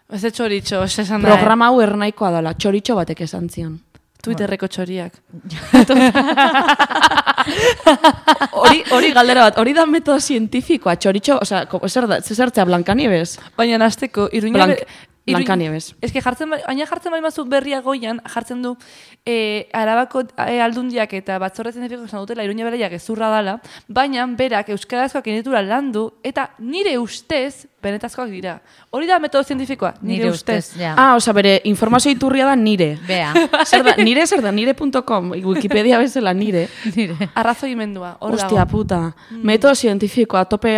Ez de txoritxo, ez esan da. Programa hau ernaikoa dela, txoritxo batek esan zion. Twitterreko txoriak. Hori, hori galdera bat, hori da metodo zientifikoa, txoritxo, osea, ko- zer da, zertzea Blancanieves? Baina hasteko iruña... Blanc- be- iruin- Blancanieves. Ez que jartzen, ba- baina jartzen bali mazu berria goian, jartzen du e, Arabako e, aldundiak eta batzorre zientifikoak esan dutela iruña bereiak gezurra dala, baina berak euskarazkoak initura landu eta nire ustez benetazkoak dira. Hori da metodo zientifikoa, nire, Nire ustez. ustez, ja. Ah, osea, bere informazio iturria da nire. Bea. Zer da, nire zer da, nire punto com, Wikipedia bezala nire. Nire. Arrazoimendua, hor Ostia dago. puta, metodo zientifikoa, tope,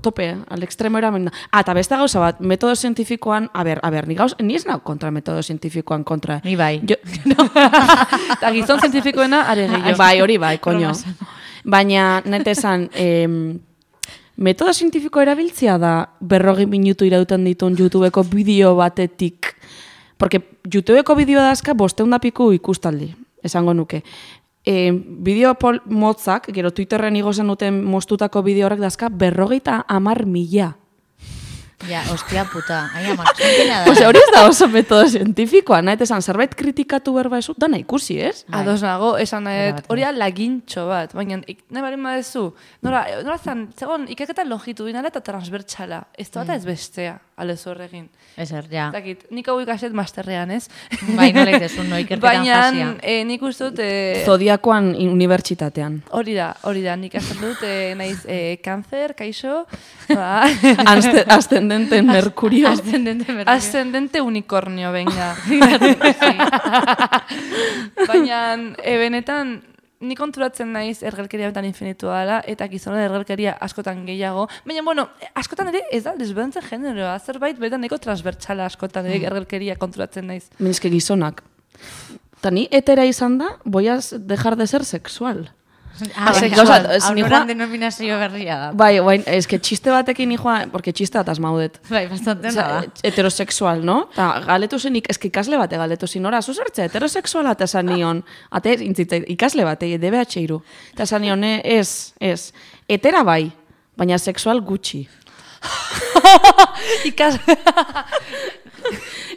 tope, al extremo eramen da. Ah, eta beste gauza bat, metodo zientifikoan, a ber, a ber, ni gauz, ni ez nau kontra metodo zientifikoan kontra. Ni bai. Jo, Eta gizon zientifikoena are gehiago. bai, hori bai, koño. Baina, nete esan, em, metodo zientifiko erabiltzea da berrogi minutu irauten ditun YouTubeko bideo batetik. Porque YouTubeko bideo dazka bosteun da piku ikustaldi, esango nuke. E, bideo pol motzak, gero Twitterren igozen duten mostutako bideo horrek dazka berrogeita amar mila. Ja, ostia puta. Ai, amak, zentena da. Ose, hori ez da oso metodo zientifikoa, nahi esan, zerbait kritikatu berba esu, dana ikusi, ez? Ados nago, esan nahi, Erabat, hori da lagintxo bat, baina ik, nahi barin badezu, nora, nora zan, zegoen, ikaketa longitudinala eta transbertsala, ez da bat ez bestea, alez horregin. Ezer, ja. Zakit, nik hau ikaset masterrean, ez? Bai, nola itezun, no, ikerketan Baina, jasia. eh, nik uste dut, eh, Zodiakoan unibertsitatean. hori da, hori da, nik azten dut, eh, naiz, eh, kanzer, kaixo, ba, Azte- Ascendente Mercurio. Ascendente berri. ascendente unicornio, venga. Baina, e, benetan, ni konturatzen naiz ergelkeria betan infinitua dela, eta gizonen ergelkeria askotan gehiago. Baina, bueno, askotan ere ez da desberdintzen generoa, zerbait betan neko transbertsala askotan ere ergelkeria konturatzen naiz. Minizke gizonak. Eta ni etera izan da, voy a dejar de ser sexual. Ah, Ose, sexual. gauza, ez, ni Aunoran joa- denominazio berria da. Bai, bai, es que txiste batekin nijoa, porque txiste bat asmaudet. Bai, bastante Osea, da. heterosexual, no? Ta galetu zenik, eski ikasle bate galetu zin, ora, zuzertze, heterosexuala eta esan nion, ate, intzitza, ikasle bate, D B H iru. Eta esan nion, eh, ez, ez, hetera bai, baina sexual gutxi. Ikas...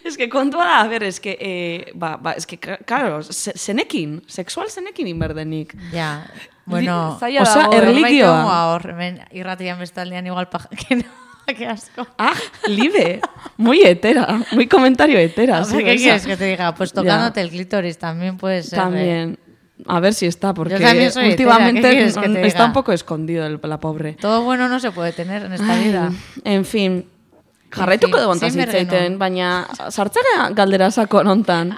Es que kontua da, a ber, es que, eh, ba, ba, es que, claro, zenekin, sexual zenekin inberdenik. Ja, bueno, zaila osea, dago, erligioa. hor, hemen irratian bestaldean igual paja, que no, que asco. Ah, libe, muy hetera, muy comentario hetera. O sea, sí, ¿qué esa. quieres que te diga? Pues tocándote Ya. el clítoris también puede ser. También. A ver si está, porque también soy hetera, ¿qué últimamente quieres que te está diga? un poco escondido el- la pobre. Todo bueno no se puede tener en esta Ai, vida. En fin, jarraituko fin, dugu ontaz zein hitzaiten, bergenuen. baina sartzera galdera sako nontan.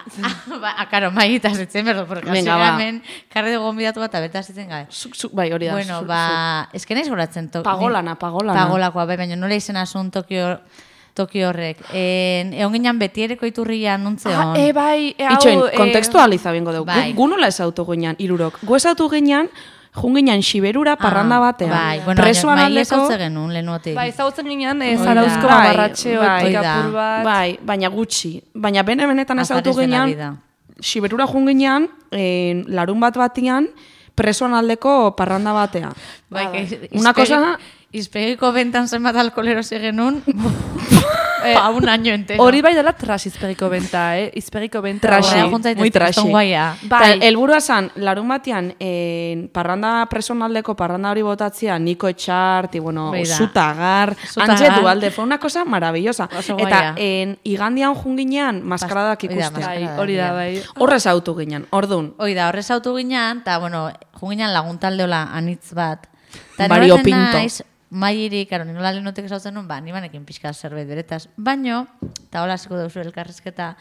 ba, karo, maitaz itzen berdo, porque Venga, hasiera ba. hemen karri dugu gonbidatu bat abetaz itzen gabe. Zuk, zuk, bai, hori da. Bueno, zuk, ba, ez que naiz goratzen to- Pagolana, ni- pagolana. Pagolakoa, bai, baina nola izena zuen Tokio, Tokio horrek. En, egon ginen betiereko iturria nuntzeon. Ah, e, bai, e, hau... Itxoin, eh, kontekstualiza bengo dugu. bai. Gu, gu nola ezautu ginean, irurok. Gu ezautu ginean, jun ginean Siberura parranda batean. Bai, bueno, Presoan baina mai aldeko... ezautze genuen lehenuotik. Bai, ezagutzen ginean, e, Hoi da. zarauzko Bai, mamarratxe bai. otik Hoi da. apur bat. Bai, baina gutxi. Baina bene-benetan ezautu Azares de la ginean, vida. Siberura jun ginean, eh, larun bat batian, presoan aldeko parranda batea. Bai, que Una izpegi- cosa- Izpegiko bentan zenbat alkolero genuen, pa un año entero. Hori bai dela tras izpegiko benta, eh? Izpegiko benta. Trashy, Horrela junta muy daitezke, trashy. kriston guaia. Bai. Eta helburua zan, larun batean, eh, parranda presonaldeko parranda hori botatzea, Niko Etxart, y bueno, Hoi da. Zutagar, Zutagar. Antxe Dualde, fue una cosa maravillosa. Oso Eta guaia. en, igandian junginean, maskaradak Hoi da, ikustea. Bai, Maskaradak, hori da, ja. bai. Horrez autu ginen, ordun. Hoi da, horrez autu ginean, eta, bueno, junginean laguntaldeola anitz bat. Ta Mario noratzen Pinto. naiz, maiiri, karo, ninola lehenotek esautzen nun, ba, nibanekin pixka zerbait beretaz. Baino, eta hola hasiko duzu elkarrizketa,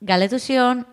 galetu zion,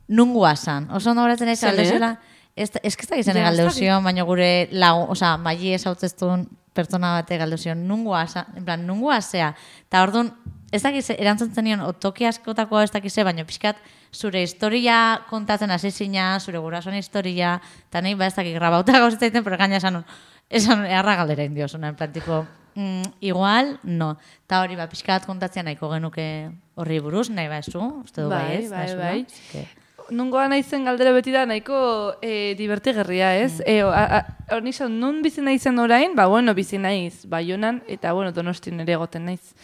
nungua zan. Oso ondo goratzen naiz, Zene? galdetu zela, ez ez que ez dakizene Ja, ez galdeu dakit. zion, baina gure lagun, oza, maili esautzeztun pertsona bate galdu zion, nungua zan, en plan, nungua zea. Eta orduan, ez dakiz, erantzuntzen nion, otoki askotakoa ez dakize, baina pixkat, zure historia kontatzen hasi zina, zure gurasoen historia, eta nahi ba ez dakik grabauta gauzetzaiten, pero gaina esan nun, esan nun, eharra galdera indiosuna, en plan, tipo, mm, igual, no. Eta hori, ba, pixkat kontatzea nahiko genuke horri buruz, nahi ba ezu, uste du bai, Bai, ez? bai, naizula? bai. Así que- Nungoa naizen galdera beti da nahiko e, divertigerria, ez? Mm. E, hor nizan, nun bizi naizen orain, ba, bueno, bizi naiz, Baionan, eta, bueno, Donostin ere egoten naiz.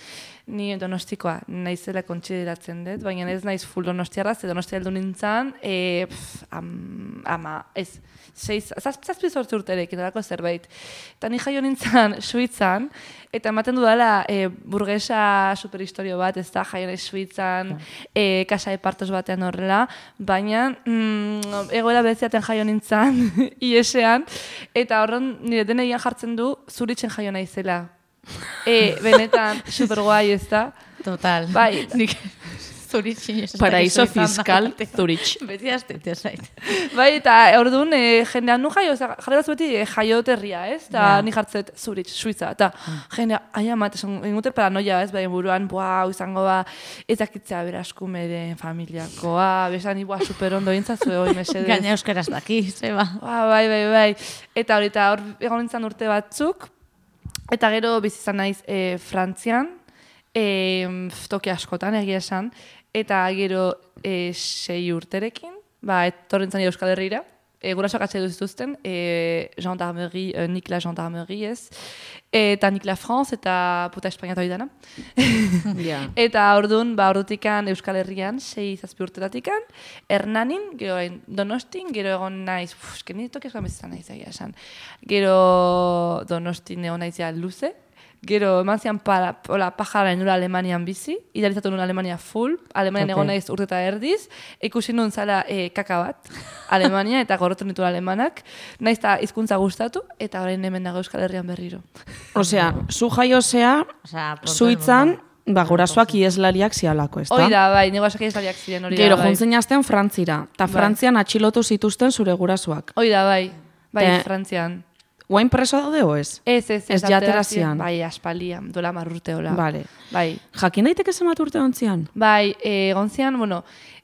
Ni donostikoa naizela kontsideratzen dut, baina ez naiz full donostiarra, ze donostia heldu nintzen, e, pff, am, ama, ez, seiz, zaz, zazpi zortzi urterekin, edako zerbait. Eta ni jaio nintzen Suitzan, eta ematen dudala e, burgesa superhistorio bat, ez da, jaio naiz Suitzan, e, kasa epartos batean horrela, baina mm, egoera bereziaten jaio nintzen, iesean, eta horren nire deneian jartzen du zuritzen jaio naizela. E, benetan, superguai ez da. Total. Bai. Nik zuritxin ez Paraíso dakizu izan fiscal da. Zurich. Beti aztete zait. Bai, eta orduan, e, jendean nu jaio, oza, jarri batzu beti e, jaioterria, ez? Eta Ja. ni jartzet Zurich, Suiza, eta jendea, ai amat, esan, ingute paranoia, ez? Bai, buruan, buah, hau izango ba, ez dakitzea beraskumeren familiakoa, besan ibua super ondo intzazue hoi mesedez. Gaina euskaraz daki, zeba. Ah, bai, bai, bai. Eta hori, eta hor egon nintzen urte batzuk, eta gero bizi izan naiz e, Frantzian, e, toki askotan egia esan, eta gero e, sei urterekin, ba, etorri nintzen Euskal Herrira, e, gurasoak atxe duzituzten, e, gendarmerie, e, Nik la gendarmerie ez, eta Nik la France, eta puta Espainiatu hori dana. Ja. Eta orduan, ba, ordutikan Euskal Herrian, sei zazpi urteratikan, Hernanin, gero en Donostin, gero egon naiz, uf, eske ni toki askoan bizizan naiz egia esan. Gero Donostin egon naiz ja luze, gero eman zian para, hola, pajara nula Alemanian bizi, idealizatu nuen Alemania full, Alemanian Ok. egon naiz urte eta erdiz, ikusi nuen zala e, kaka bat, Alemania, eta gorrotu nitu alemanak, naiz eta hizkuntza gustatu, eta orain hemen dago Euskal Herrian berriro. Osea, zu jaiozea, Osea, por todo el Suitzan, mundo. ba, gurasoak ieslariak zialako, ez da? Hori da, bai, negoasak egislariak ziren, hori Gero, da, bai. juntzen jazten Frantzira, eta Bai. Frantzian atxilotu zituzten zure gurasoak. Hori da, bai, bai, Te- Frantzian. Guain preso daude o ez? Ez, ez, Ez atera jaterazian. ziren, Bai, aspalian, dola marrurte hola. Vale. Bai, Jakin daiteke zenbat urte ontzian? bai, e, gontzian, bueno,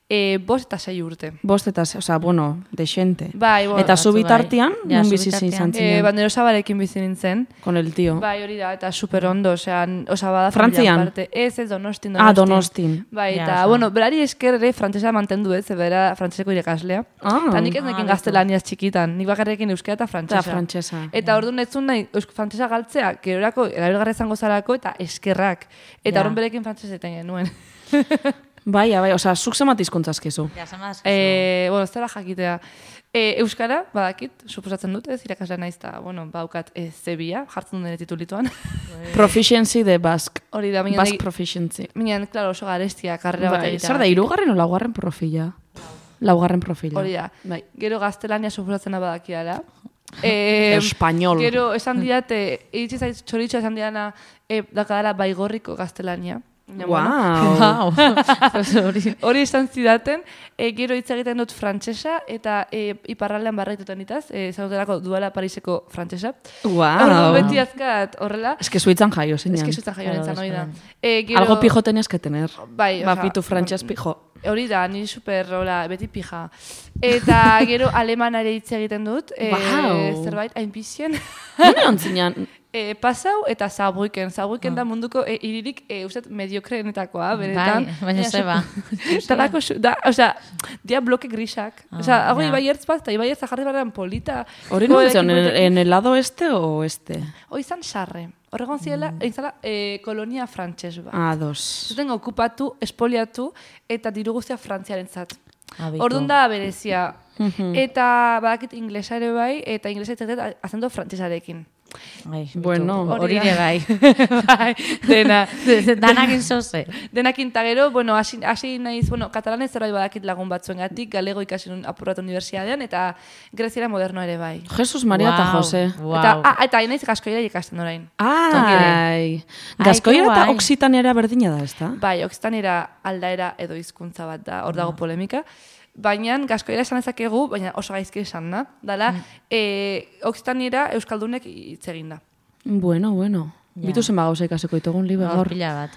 e, bost eta sei urte. Bost eta, osea, bueno, dexente. Bai, bueno, Eta zu batzu bai. bitartean, Ja, nun zu bizi bitartean. izan E, zinen, bandero Zabarekin bizi nintzen. con el tío. Bai, hori da, eta super ondo, osea, osea bada Frantzian? familian parte. Ez, ez, Donostin, Donostin. Ah, Donostin. Bai, Ja, eta, osea. bueno, berari esker ere frantsesa mantendu ez, ze bera frantseseko irakaslea. Ah. Eta nik ez Ah, nekin beto. gaztelaniaz txikitan, nik bakarrekin euskara eta frantsesa. Eta frantsesa. Eta orduan ez zuen nahi eusk frantsesa galtzea, gerorako, erabilgarra izango zarako, eta eskerrak. Eta Ja. orduan berekin frantsesa eten genuen. Bai, bai, osea, zuk zemat hizkuntzazkezu. Ja, zamaz. E, bueno, ez dela jakitea. E, Euskara, badakit, suposatzen dut, ez irakasle naiz, eta, bueno, baukat e, zebia, jartzen dut nire titulituan. Proficiency de Basque. Hori da, minan, Basque proficiency. minan, klaro, oso garestia, karrera bat Bai, egitea. zer da, hirugarren o laugarren profila? Laugarren profila. Hori da. Bai. Gero gaztelania suposatzena badakiala. E, Español. Gero esan diate, iritsi zait txoritxo esan diana, e, dakadala baigorriko gaztelania. Ja, Wow. Hori. Hori esan zidaten, e, gero hitz egiten dut frantsesa eta e, iparraldean barraitutan ditaz, e, zagutelako duala Pariseko frantsesa. Wow. Orduan beti azkat horrela. Es que zuitzan jaio, zenean. Ez que zuzen jaio Claro, nintzen, hori da. Espainian. E, gero, Algo pijo tenías que tener. Bai, Ba, osea, pitu frantxez pijo. Hori da, niri super, hola, beti pija. Eta gero alemanare hitz egiten dut. E, Wow. Zerbait, hainpizien. Nune ontzinean, E, pasau eta Saarbrücken. Saarbrücken da munduko e, iririk, e, uste, mediokreenetakoa, benetan. Bai, baina zeba. Talako, su- da, osea, dia bloke grisak. Ah, Osea, hago ja. ibaiertz bat, eta ibaiertz jarri barrean polita. hori Jo, nuntzen, en, ekipoekin- en el lado este o oeste? Hoi izan sarre. Horregon ziela, mm. izala, e, kolonia frantses bat. Ah, dos. Zuten okupatu, espoliatu, eta diru guztia frantziaren zat. Abitu. Orduan da berezia. Mhm. Eta badakit inglesa ere bai, eta inglesa itzatet azendo frantsesarekin. Ai, Bueno, bitu. hori hori ere da. bai. bai, dena. Danakin zoze. Denakin eta gero, bueno, hasi, hasi naiz, bueno, katalanez zerbait badakit lagun batzuengatik, galego ikasi nun apurratu unibertsitatean, eta greziera moderno ere bai. Jesus Maria eta Wow, Jose. wow. Eta, ah, eta hain naiz gaskoira ikasten orain. Ai. Ai, Gaskoira ke eta guai. oksitaniera berdina da, ezta? Bai, oksitanera aldaera edo hizkuntza bat da, hor dago polemika. Baina gaskoira esan ezakegu, baina oso gaizki esan da. Dala, e, oksitanera euskaldunek hitz egin da. Bueno, bueno. Ja. Bitu zenba gauza ikasiko ditugun libe Gaur gaur. pila bat.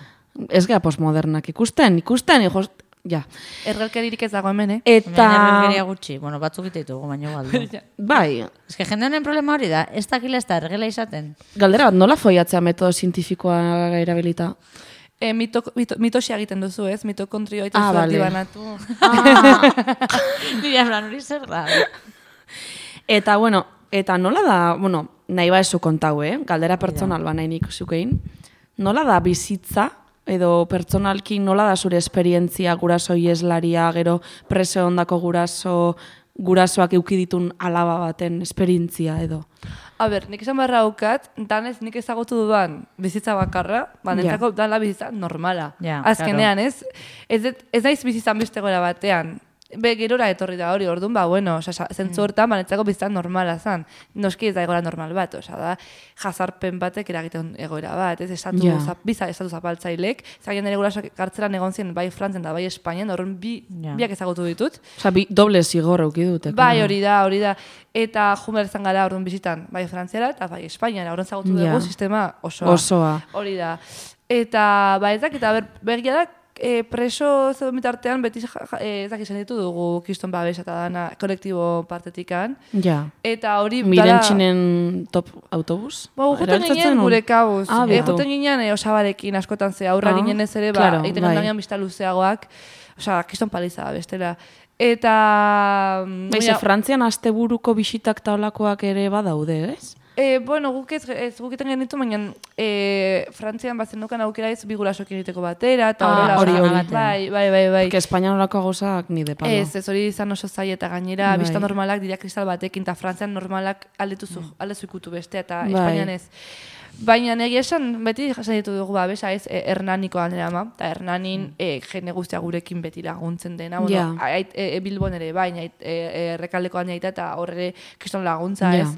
Ez gea postmodernak ikusten, ikusten, hijos... Ja. Ergelkeririk ez dago hemen, eh? Eta... Eta... gutxi, bueno, batzuk ite ditugu, baina galdu. Bai, Ez que jende honen problema hori da, ez dakila ez da ergela izaten. galdera bat, nola foiatzea metodo zientifikoa erabilita? E, mito, mito, mitosia egiten duzu, ez? Mitokondrio eta Ah, zu vale. banatu. Nire hablan hori zer da. Eta, bueno, eta nola da, bueno, nahi ba ezu kontau, eh? Galdera pertsonal ba nahi nik zukein. Nola da bizitza, edo pertsonalki nola da zure esperientzia guraso ieslaria, gero preso ondako guraso, gurasoak eukiditun alaba baten esperientzia edo? A ber, nik esan barra haukat, danez nik ezagutu dudan bizitza bakarra, ba, nentzako dala bizitza normala. Ja, Azkenean, ez? Ez, det- ez naiz bizitzan beste gora batean. Be, gerora etorri da hori, orduan, ba, bueno, oza, zentzu hortan, ba, nentzako bizitza normala zan. Noski ez da egoera normal bat, oza, da, jazarpen batek eragiten egoera bat, ez? Estatu, Ja. zap, biza, estatu zapaltzailek, zagen nire gurasoak kartzelan egon ziren bai Frantzen da bai Espainian, horren bi, Ja. biak ezagutu ditut. Osa, bi, doble zigor euki dute. Bai, hori da, hori da. Eta jumer izan gara orduan bizitan, bai Frantziara eta bai Espainiara, orduan zagutu Ja. dugu sistema osoa. Osoa. Hori da. Eta, ba, ez dakit, a ber, begia da, e, preso zeuden bitartean beti ja, ja, e, ez dakit zen ditu dugu kiston babes eta dana kolektibo partetikan. Ja. Eta hori... Miren dala- txinen top autobus? Ba, juten Erabiltzen ginen zenuen? gure kabuz. Ah, e, bitu. juten ginen e, osabarekin askotan ze aurra Ah, ginen ez ere, ba, claro, egiten bai. gendanean bizta luzeagoak. Osea, kiston paliza bestela. Eta... mm, Baize, mira, Frantzian asteburuko bisitak taulakoak ere badaude, ez? E, bueno, guk ez, ez guk egiten genitu, baina e, Frantzian bazen dukan aukera ez bi gurasoak egiteko batera, eta Ah, horrela. hori, osea, hori. Bai, bai, bai, bai. Que Espainianolako gauzak ni de palo. Ez, ez hori izan oso zaila eta gainera, Bai. bista normalak dira kristal batekin, eta Frantzian normalak aldetu aldezu ikutu bestea, eta Bai. Espainian ez. Baina egia esan, beti jasen ditu dugu, ba, besa ez, e, Hernaniko handera ama, eta Hernanin e, jende guztia gurekin beti laguntzen dena, bueno, Ja. ait, e, e, Bilbon ere, baina ait, e, e, errekaldeko handea eta horre kriston laguntza Ja. ez.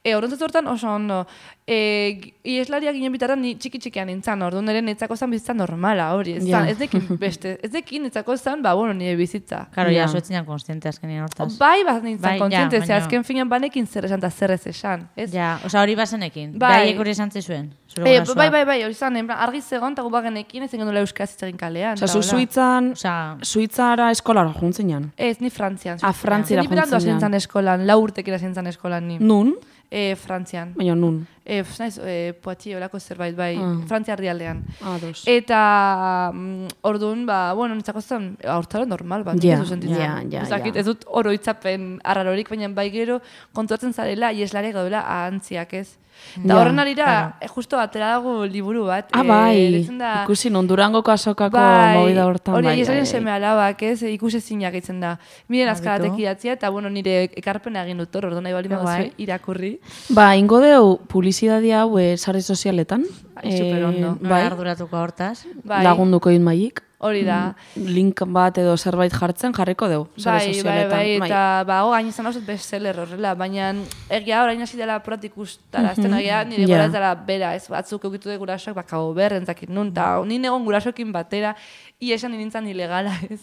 E, Horrentzat hortan oso ondo. E, Ieslaria ginen bitartan ni txiki-txikian nintzen, orduan ere netzako zen bizitza normala hori. Ez, Ja. zan, ez dekin beste, ez dekin netzako zen, ba, bueno, nire bizitza. Karo, ja, Ja. zuetzinan konstiente azkenien hortaz. Bai, bat nintzen Bai, ja, kontziente, ze baina- azken finan banekin zer esan eta zer ez esan. Ez? Ja, oza, hori bazenekin. Bai. Bai. Baiek hori esan zizuen. Zure E, gurasoak. bai, bai, bai, hori zan, en plan, argi zegoen, eta gu bagenekin ez genuen euskaz hitz egin kalean. Osa, eta zu hola. Suitzan, Osa, Suitzara eskolara juntzen jan. Ez, ni Frantzian. Ah, Frantziara Ni berandu joan zinan. asintzan eskolan, lau urtekin asintzan eskolan ni. Nun? E, Frantzian. Baina nun. E, naiz, e, Poitiers olako zerbait, bai, Ah. Frantzia herrialdean. Ados. Eta mm, orduan, ba, bueno, nintzako zen, aurtaro normal, bat, Ja, ez dut sentitzen. ja, ja, Ez dakit, ja. ez dut oroitzapen arrarorik, baina bai gero konturatzen zarela, ieslare gaudela ahantziak ez. Eta Ja, horren arira, claro. eh, justo atera dago liburu bat. Ah, eh, bai, deitzen da- ikusi non Durangoko azokako Bai, movida hortan. hori bai, ieslaren bai, seme alabak ez, ikusezinak itzen da. Miren azkaratek Abitu. idatzia, eta bueno, nire ekarpena egin dut hor, ordu nahi bali Bai. baduzue irakurri. Ba, ingo deu publizidadia hau eh, sare sozialetan. Ai, superondo. Eh, bai, arduratuko hortaz. Bai, lagunduko in maik. hori da. Link bat edo zerbait jartzen jarriko deu, sare Bai, bai, sozialetan. bai, eta ba, ho, gain izan hausut bestseller horrela, baina egia orain hasi dela proat ikustara, azten egia nire Ja. gora ez dela bera, ez batzuk eukitu de gurasoak, baka berrentzakit nun, eta nire egon gurasoekin batera, ia esan nintzen ilegala, ez.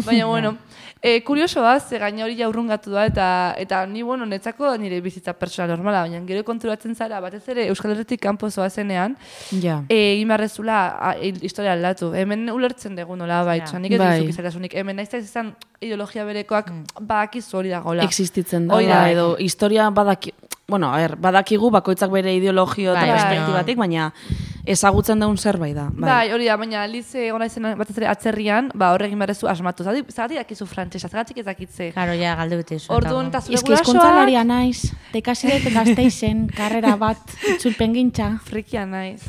Baina, bueno, e, kuriosoa, ze gaina hori jaurrungatu da, eta eta ni, bueno, netzako nire bizitza pertsona normala, baina gero konturatzen zara, batez ere Euskal Herritik kanpo zoazenean, Ja. e, egin beharrezula a, il- historia aldatu. Hemen ulertzen dugu nola bai, Ja. nik ez Bai. dizuk izatasunik. Hemen naiz ez izan ideologia berekoak badakizu hori dagoela. Existitzen da, Hori da. edo historia badaki, bueno, a ver, badakigu bakoitzak bere ideologio eta Bai, perspektibatik, baina ezagutzen daun zerbait da. Bai, hori da, baina lize egon naizen batez ere atzerrian, ba horregin beharrezu asmatu. Zagatik dakizu frantsesa, zagatik ez dakitze. Claro, ja, galde bete izu. Orduan, eta zure Eski eskuntzalaria naiz, tekasi dut gazteizen, karrera bat, itzulpen gintza. frikia naiz.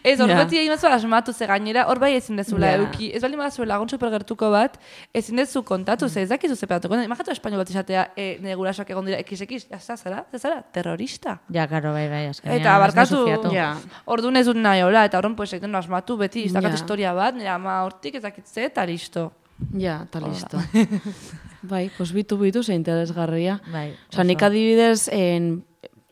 Ez, hor beti egin batzu asmatu, ze gainera, hor bai ezin dezula Ja. eduki. Ez baldin badazu lagun supergertuko bat, ezin dezu kontatu, ze ez dakizu ze pedatuko. Imagatu espainol bat izatea, e, nire gurasoak egon dira, ekiz-ekiz, jazta, zara, ze zara, terrorista. Ja, karo, bai, bai, azkenean. Eta barkatu, ez nezu fiatu. Ja. orduan ez dut nahi hola, eta horren pues, egiten asmatu beti, ez dakat Ja. historia bat, nire ama hortik ez dakitze, eta listo. Ja, eta listo. Bai, pues bitu bitu ze interesgarria. Bai, Osa, nik adibidez, en,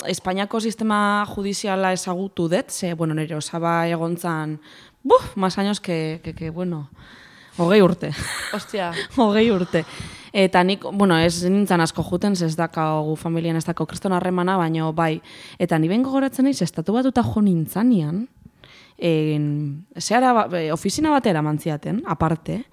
Espainiako sistema judiziala ezagutu dut, ze, bueno, nire osaba egontzan, buf, más años que, que, que bueno, hogei urte. Ostia, hogei urte. Eta nik, bueno, ez nintzen asko juten, ze ez dakau familian ez dakau kriston harremana, baino bai. Eta ni ben gogoratzen naiz, estatu batuta jo nintzanean, en, zehara, ba- e, ofizina batera mantziaten, aparte,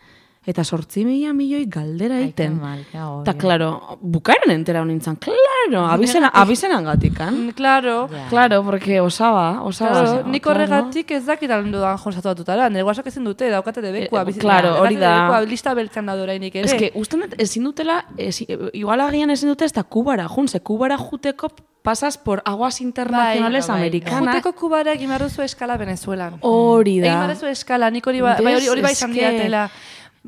eta sortzi mila milioi galdera Ai, egiten. que mal, que agobio. Eta, claro, bukaeran entera nintzen, claro, abizena, abizenan gatikan. Mm, claro. Ja. Claro, porque osaba, osaba. Claro, nik claro. horregatik ez dakit aldo da jonsatu batutara. Nire guasak ezin dute, daukate debekua. Eh, bizitza. claro, hori Daukate da. debekua, lista beltzen da dorainik ere. Ez que, usten dut, ezin dutela, ez, igual agian ezin dute ez da Kubara jun, ze Kubara juteko pasas por aguas internacionales bai. americanas. Juteko kubara egin behar duzu eskala Venezuelan. Hori Egin da. behar duzu eskala, nik hori, ba, bai, hori, hori bai izan Eske- diatela.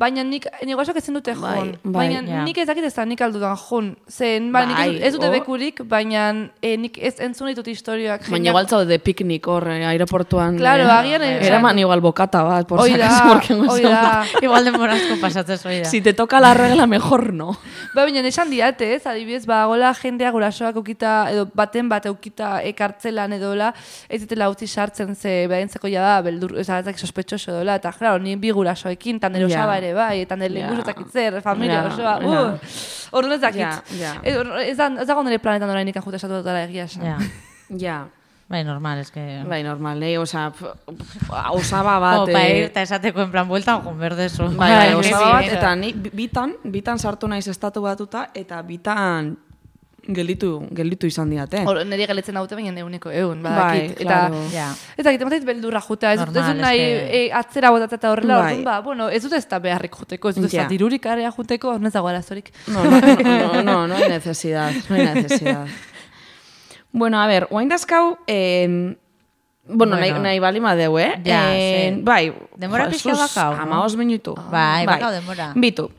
Baina nik, nik guasak ezin dute Bai, joan. bai, baina ja. nik ez dakit ez da nik aldudan joan. Zen, ba, nik ez, Bai, ez dute oh. bekurik, baina eh, nik ez entzun ditut historioak. Baina jendeak- igual zaude piknik hor eh, aeroportuan. Claro, eh, agian eh, Eraman igual bokata bat, por Hoi si da, acaso, porque no hoi sé. da. Igual denbora asko pasatzen zoi da. Si te toca la regla, mejor no. Ba, baina esan diate, ez, adibidez, ba, gola jendea gurasoak eukita, edo baten bat eukita ekartzelan edola, ez ditela utzi sartzen ze behaintzeko ja da, beldur, ez da, sospetxoso edola, eta, claro, ni bi gurasoekin, tan nire Ja. osaba ere bai, eta nire Ja. lenguzo zakitzer, familia Ja, osoa, ja. uh, orduan ez dakit. Ja, ja. Ez, ez, da, ez dago nire planetan orain ikan jute esatu dutara egia esan. Ja. Ja, Bai, normal, es que... bai, normal, eh? Osa, p- p- osaba bat... Como pa eh, ir, eta esateko en plan buelta, joan berdezu. Bai, bai, Bai, osaba bat, sí, eta ni bi- bitan, bitan sartu naiz estatu batuta, eta bitan gelditu, gelditu izan diate. Hor, nire galetzen daute baina euneko eun, Bai, badakit. eta, claro. Ja. eta egiten batzait beldurra juta, ez dut ez Normal, dut nahi es que- e, atzera botatzea eta horrela, Bai. orduan, ba, bueno, ez dut ez da beharrik juteko, ez dut ez Ja. da dirurik area juteko, hor nezago arazorik. No, no, no, no, no hay necesidad, no hay necesidad. Bueno, a ver, oain dazkau, eh, bueno, nahi, Bueno. nahi bali madeu, eh? Ja, Eh, ze. bai, Denbora jo, pixka sus, bakau, no? hamabost minutu. Bai, bakau denbora. Bitu,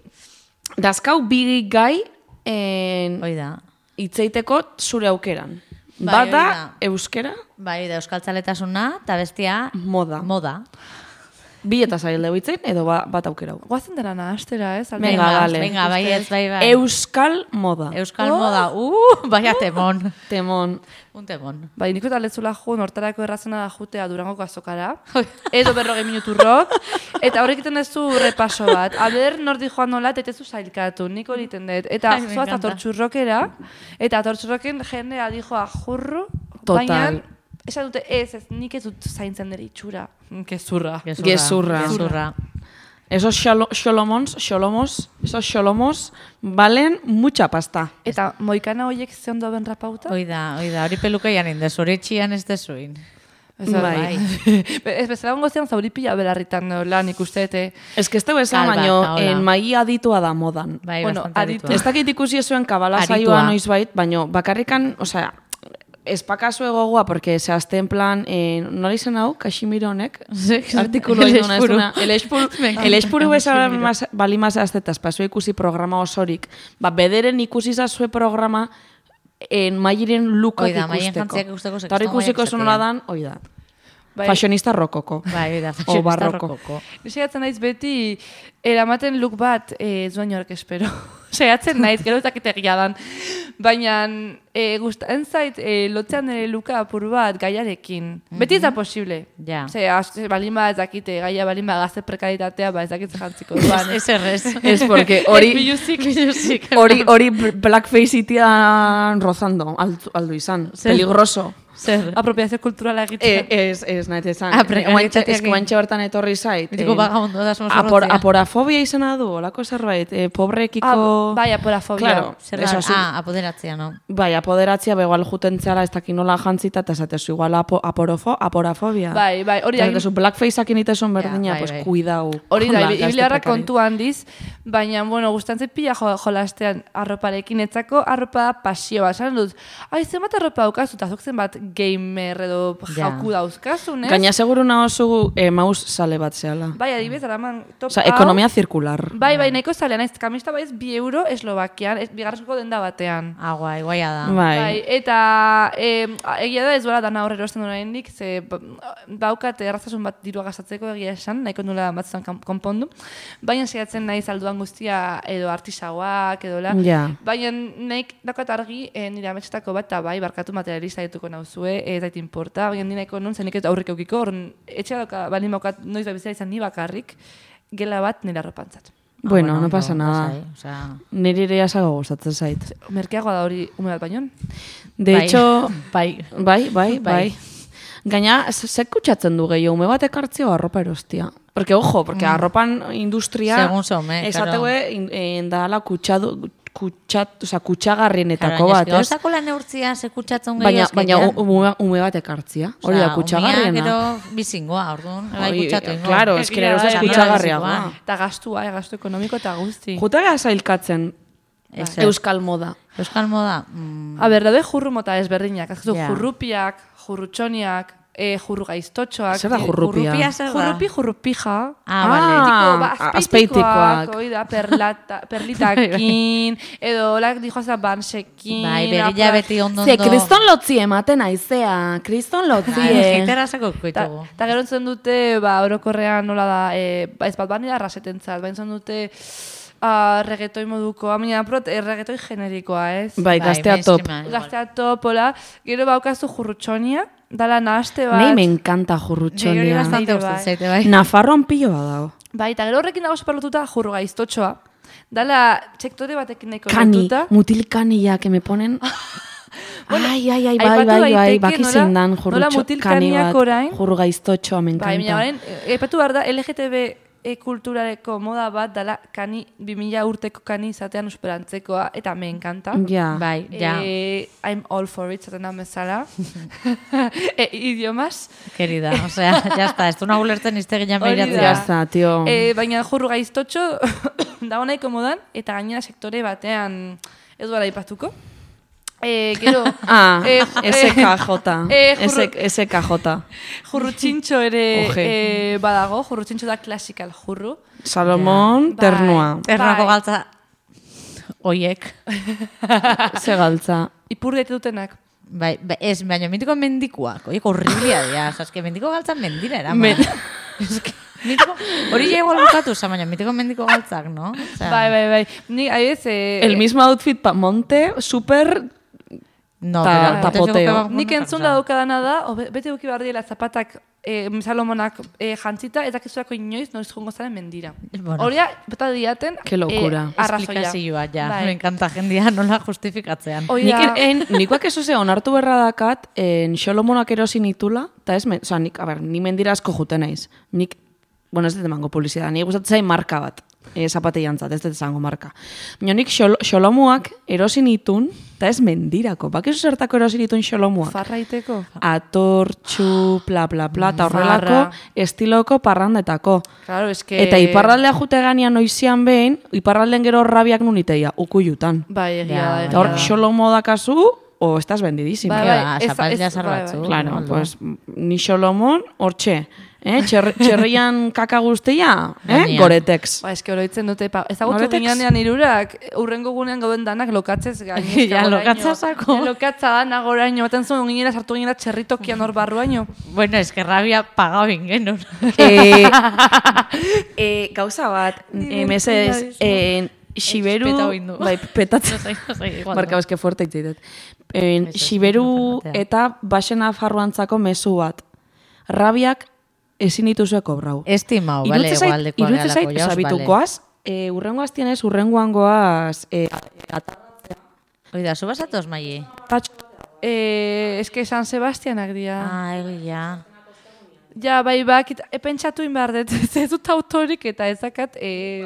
dazkau bi gai eh, Hoi da. hitzeiteko zure aukeran. Bai, Bata, hori da. euskera, Bai, da euskaltzaletasuna, eta bestia moda. moda. Bi eta zail dugu hitzein, edo ba, bat aukerau. Guazen dara nahastera, ez? Alde- Venga, dale. Venga, bai, ez, bai, bai. Euskal moda. Euskal moda, uh, baina temon. Temon. Un temon. Bai, niko eta letzula jo, nortarako errazena da jutea Durangoko azokara, edo berrogei minutu rock, eta horrek egiten duzu repaso bat. A ber, nordi joan nola, eta itezu zailkatu, niko egiten dut. Eta Ai, me zoaz encanta. atortxurrokera, eta atortxurroken jendea dijoa jurru, Total. baina, esan dute ez, ez, nik ez dut zaintzen dere itxura. Gezurra. Gezurra. Gezurra. Esos xolo- xolomons, xolomos, esos xolomos valen mucha pasta. Eta moikana horiek ze ondo ben rapauta? Hoi da, hoi da, hori pelukeian indezu, hori etxian ez dezuin. Ez da, Bai. Ez bezala gongozian zauripila belarritan lan ikustete. Ez que ez teu esan, Kalba, baino, eta hola. en mai aditua da modan. Bai, Bueno, bastante aditu. aditua. Ez dakit ikusi zuen kabala Aritua. saioa noizbait, baino bakarrikan, osea, espakazu egogoa, porque zehazte en plan, eh, nola izan hau, Kashimiro honek, artikulu El egin duna ez espuru. duna. El espuru, el espuru bezala bali mazazte, eta espazue ikusi programa osorik, ba, bederen ikusi zazue programa, en mairen lukak Hoi da, maien ikusteko. jantziak ikusteko, ze Eta hori kriston ikusiko maiak zonola esatea. dan, hoi da. Bai. Fashionista rokoko. Bai, hoi da, O fashionista barroko. rokoko. Saiatzen naiz beti, eramaten look bat, eh, ez duen jork espero. Saiatzen naiz, gero ez dakit egia dan. Baina, eh, gustatzen zait, eh, lotzean ere luka apur bat gaiarekin. Beti ez da posible. Ja. Ze, az- balin ba ez dakite, gaia balin ba gazte prekaritatea, ba ez dakit jantziko duan. Ez errez. Ez, porque hori... Biluzik, biluzik. Hori, hori blackface itian rozando, aldu, aldu izan. Zer? Peligroso. Zer. Apropiazio kulturala Eh, egitea. ez, ez, nahi esan. Ah, prekarietateak Ez que guantxe bertan etorri zait. Mitiko eh, vagabundo da somos apor, zorrotzea. aporafobia izena du, olako zerbait. Eh, pobrekiko... Ah, bai, aporafobia. Claro, Zer eso da, así. ah, apoderatzea, no? Bai, apoderatzea, begoal juten zela, ez dakin nola jantzita, eta esatezu igual apo, aporofo, aporafobia. Bai, bai, hori da. Esatezu blackfaceak initezun berdina, bai, pues bai. cuidau. Hori da, Hola, ibi- gazte ibiliarra prekari. kontu handiz, baina, bueno, gustantzen pila jo, jolastean arroparekin, etzako arropa pasioa. Esan dut, ai, zenbat arropa daukazu, eta zuk zenbat gamer edo Ja. jauku dauzkazun, ez? Gaina seguru nahozu eh, maus sale bat zehala. Bai, adibidez, araman top Osa, hau. ekonomia zirkular. Bai, bai, nahiko zalea, naiz, kamista baiz bi euro Eslovakian, ez, bigarrezko denda batean. Ah, guai, guaia da. Bai. Bai, eta e, egia da ez bora dana horre erosten duen hendik, ze ba- baukat errazasun bat dirua gastatzeko egia esan, nahiko nula batzutan kan- konpondu. Baina saiatzen naiz alduan guztia edo artisauak edo la. Ja. Baina naik dakat argi e, nire ametsetako bat, eta bai, barkatu materialista dituko nauzue, ez dait importa, baina ni nahiko nun, zen nik ez aurrik eukiko, horren etxea dauka, balin baukat noiz da bizera izan ni bakarrik, gela bat nire arropantzat. Bueno, no ondo, pasa nada. lasai, osea, Niri ere asago gustatzen zait. Merkeagoa da hori ume bat baino? De bai, hecho, bai. bai, bai, bai. Bai. Gaina, ze kutsatzen du gehiago, ume bat ekartzio arropa erostia. Porque, ojo, porque arropan industria... Segun zeume, Esategue, in- dala kutxadu, kutxat, oza, kutxagarrienetako Claro, bat, baina ez? eske gauzako lan neurtzia ze kutsatzen gehiago Baina, eske, baina ja. u- ume, ume bat ekartzia, hori da kutxagarriena. Gero bizingoa, orduan, bai Hori, kutsatu ingo. claro, es que Egia nire da, ustez egia da, kutxagarriagoa. bizikoa. Eta gastua, eh, gastu ekonomiko eta guzti. Jutega zailkatzen Ezer. euskal moda. Euskal moda, mm, A ber, daude jurru mota ezberdinak. Azkazu, Ja. jurrupiak, jurrutxoniak, e, jurru gaiztotxoak. Zer da e, jurrupia? jurrupia zer da? Jurrupi, jurrupija. Ah, vale. Tipo, ba, Ah, azpeitikoak, azpeitikoak. hoi da, perlata, perlitakin, edo olak dijoza bansekin. bai, begila apla- beti ondo Ze, ondo. kriston lotzi ematen aizea, kriston Bai, lotzie. jeitera sako Ta, ditugu. ta gero entzun dute, ba, orokorrean nola da, e, ba, ez bat bani da rasetentzat, ba, entzun dute, uh, regetoi modukoa, baina prot, e, regetoi generikoa, ez? Bai, gaztea top. mainstreama, igual. Gaztea topola, gero baukazu jurrutxonia, dala nahaste bat. Nei me encanta Niri hori jurrutxonia. bastante Nire gustatzen bai. zaite, bai. Nafarroan pilo badago. Bai, eta gero horrekin dago superlotuta jurru gaiztotxoa. Dala sektore batekin nahiko Kani, lotuta. mutil kanilla, que me ponen... ai, ai, ai, bai, aipatu bai, bai, daiteke baki nola- zein dan nola jurrutxo, mutil kani kaniak bat, orain- jurru gaiztotxoa, me Bai, baina encanta. orain, e, aipatu behar da, L G T B e kulturareko moda bat dala kani, bi mila urteko kani izatean esperantzekoa, eta me encanta. Ja. Bai, ja, Eh, I'm all for it, zaten da bezala. e, idiomas. querida, osea, ya está, ez du nago lertzen iztegina Hori da. Ya meiratzea. está, tío. E, baina jurru gaiztotxo dago nahiko modan, eta gainera sektore batean ez duela aipatuko. E, gero, Ah, eh, ju- S K J. eh, jurru- S K J. jurrutxintxo ere Oje. e, badago, jurrutxintxo da classical jurru. Salomón, Bai. ternua. Ternako Bai. galtza oiek. Ze galtza. Ipur daite dutenak. Bai, ba, ez, baina mendiko mendikuak, oiek horriblia dira, eske mendiko galtzak mendira eraman. Men- Eske, mitiko, hori ja igual bukatu, za, baina mitiko mendiko galtzak, no? Osea, Bai, bai, bai. Ni, adibidez, eh, El mismo outfit pa Monte, super... no, Ta- pero, tapoteo. entonces, guk- nik guk- entzun da daukadana da, o be- bete duki behar diela zapatak e, Salomonak e, jantzita, eta kizuako inoiz noiz jongo zaren mendira. Bueno. Horia, bota diaten, Qué locura. E, arrazoia. Esplikazioa, ja. Bai. Me encanta jendia nola justifikatzean. Hoi Nik da, en, nikoak eso ze onartu berra dakat, en Xolomonak erosi nitula, eta ez, men, oza, nik, a ber, ni mendira asko juten naiz. Nik bueno, ez dut emango publizitatea, ni gustatzen zain marka bat, e, zapateiantzat, ez dut esango marka. Baina nik xolo, xolomuak erosin itun, eta ez mendirako, bakizu zertako erosin itun xolomuak. Farraiteko? Atortxu, bla, bla, bla, eta horrelako Farra. estiloko parrandetako. Claro, es que... Eta iparraldea jute ganean noizian behin, iparralden gero rabiak nuniteia, ukuyutan. Bai, egia Ja, da. Eta hor, egia da. xolomo dakazu, o estás vendidísima. Bai, Bai, bai, ba, ez- zapatilla ez- zar bai, bai. batzu. Claro, Aldo. pues ni xolomon, hortxe. Eh? Txer, txerrian kaka guztia, eh? Gainean. Goretex. Ba, eske oroitzen dute, pa, ezagutu Noretex? ginean irurak, urrengo gunean gauden danak lokatzez gainezka Ja, goraino. lokatza sako. Ja, lokatza da nagoraino, baten zuen ginera sartu ginera txerritokian hor barruaino. Bueno, es que rabia pagau ingenun. eh, eh, gauza bat, eh, mesedez, Nire eh, Xiberu, Petau indu. bai, petatzen. No sei, no sei, igual. Marka, no. eske fuerte itzaitet. Eh, Xiberu eta basena farruantzako mezu bat. Rabiak ezin dituzue kobrau. Estimau, vale, Iruditzen zait- igualdekoa iruditzen zait, gehalako jauz, oza, bitu, vale. goaz, eh, urrengo aztien ez, urrengoan goaz, eh, Oida, zu basatoz, Maie? atarratxo. Eh, eske San Sebastianak dira. Ah, egia. Ja, bai, bakit, e, pentsatu inbar dut, ez dut autorik eta ezakat... E...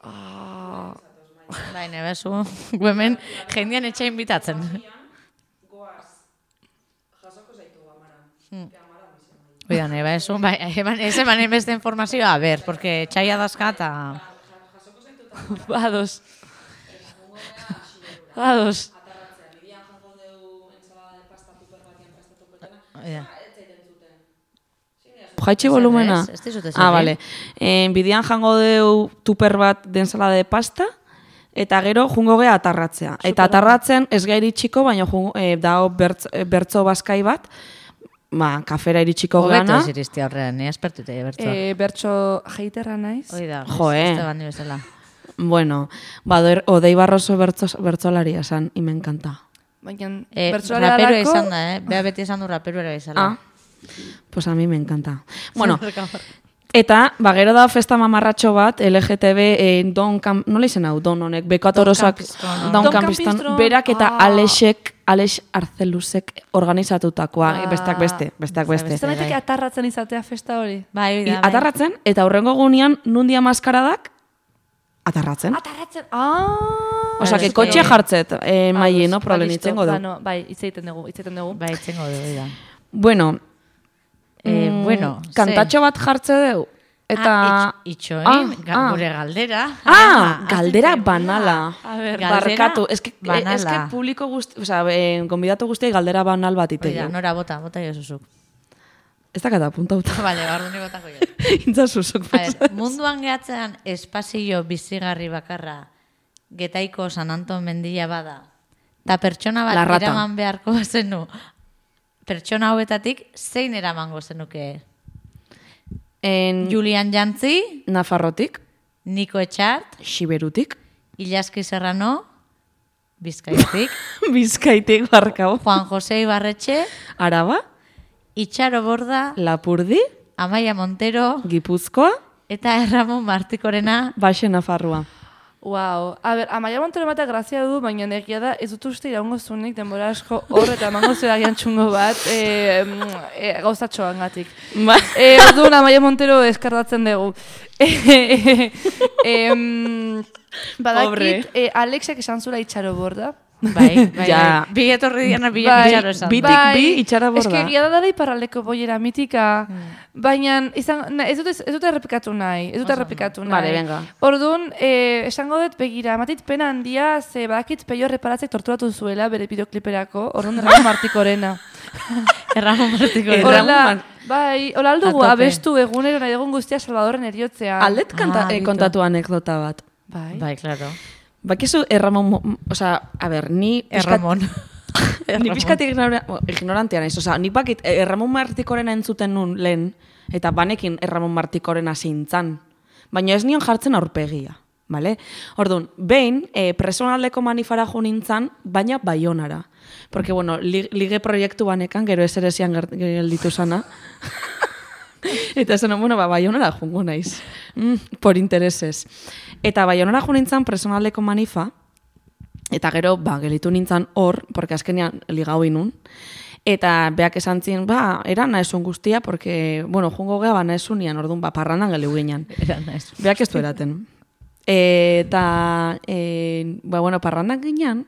Ah, Bai, nebezu, hemen jendean etxe inbitatzen. Hmm. Oida, nebezu, bai, eman, ez eman beste informazioa, a ber, porque txaia dazka eta... ados. Ados. Oida. Jaitxe volumena? Ez, ez dizut esan, Ah, eh? bale. En, bidean jango deu tuper bat de ensalada de pasta, eta gero jungo gea atarratzea. Eta atarratzen ez gai iritsiko, baina jungo, e, dao bertz, e, bertzo bazkai bat, ba, kafera iritsiko Hobeto gana. ez iristia horrean, ni espertute bertzo. E, bertso jeiterra naiz. Oida, Jo, eh. este bandi bezala. Bueno, badoer, Odei Barroso bertzo, bertzolaria esan, y me encanta. Baina, Eh, bertsolari rapero dalako- izan da, eh? Bea beti izan du rapero ere bezala. Ah, pues a mí me encanta. Bueno, eta, ba, gero da festa mamarratxo bat, L G T B, eh, Don Camp, nola izan hau, Don honek, Bekatorosak, Campistron. Don Don Campiston, Campistron, berak eta ah. Alexek, Alex Arzelusek organizatutakoa, Ah. besteak beste, besteak beste. Ez da daiteke atarratzen izatea festa hori. Bai, I, oida, bai. atarratzen, eta hurrengo gunean, nundia maskaradak, atarratzen. Atarratzen, ah! Osea, que Ados, kotxe eh, jartzet, eh, maie, no, Ba, problem listo. itzengo du. Ba, no, bai, hitz egiten dugu, hitz egiten dugu. Bai, itzengo du, oida. Bueno, Eh, mm, bueno, ze? kantatxo bat jartze deu, eta... Ah, itx, itxoin, Ah, ga- ah. gure galdera. Ah, galdera banala. A ber, Galdera Barkatu, es que, banala. es que publiko guzti, o sea, eh, gonbidatu guztiai galdera banal bat ite. Oida, nora bota, bota jo zuzuk. Ez dakata apuntauta. Vale, barru ni botako jo. Intza zuzuk. A ver, munduan gehatzean espazio bizigarri bakarra Getaiko San Anton mendila bada. Ta pertsona La bat rata. eraman beharko zenu. Pertsona hauetatik zein eramango zenuke? En Julian Jantzi, Nafarrotik, Niko Etxart, Xiberutik, Ilaski Serrano, Bizkaitik, Bizkaitik barkau, Juan José Ibarretxe, Araba, Itxaro Borda, Lapurdi, Amaia Montero Gipuzkoa, eta Erramon Martikorena. Baxe Nafarroa. Wow. A ber, Amaia Montero ematea grazia du, baina egia da, ez dut uste iraungo zunik denbora asko hor eta emango zera gian txungo bat e, e, gauzatxoan gatik. Ba. E, orduan Amaia Montero eskardatzen dugu. E, em, Pobre. badakit, e, Alexek esan zura Itxaro Borda. Bai, bai, Ja. bai. Bi etorri diana bi Itxaro esan. Bitik bi, Itxaro Borda. Eske egia da dela iparraldeko boiera mitika, baina izan, na, ez dute ez dute errepikatu nahi, ez dute errepikatu nahi. Vale, venga. Orduan, eh, esango dut begira, matit pena handia, ze badakit Peio Reparatzek torturatu zuela bere bideokliperako, orduan Erramon Martikorena. Erramon Martikorena. Erramon Hola, Mar- bai, hola aldugu A tope. abestu egunero nahi egun guztia Salvadorren eriotzean. Aldet kanta, Ah, eh, bitu. kontatu anekdota bat. Bai. Bai, claro. Bakizu Erramon, mo- osea, a ber, ni... pixkat- Erramon. Ni pixkat ignora, bueno, ignorantea naiz, osea, ni bakit eh, Erramon Martikorena entzuten nun lehen, eta banekin Erramon Martikorena zintzan, baina ez nion jartzen aurpegia, bale? Orduan, behin, eh, personaldeko manifara jo nintzan, baina Baionara. Porque, bueno, li, lige proiektu banekan, gero ez ere zian ger- gelditu sana. Eta zen, bueno, ba, Baionara jungo naiz. Mm, por intereses. Eta Baionara jo nintzan personaldeko manifa, eta gero, ba, gelitu nintzan hor, porque azkenean ligau inun, Eta beak esan zin, ba, eran naezun guztia, porque, bueno, jungo geha ba naezunian, orduan, ba, parrandan geleu ginean. Era naiz. Beak ez du eraten. Eta, e, ba, bueno, parrandan ginean,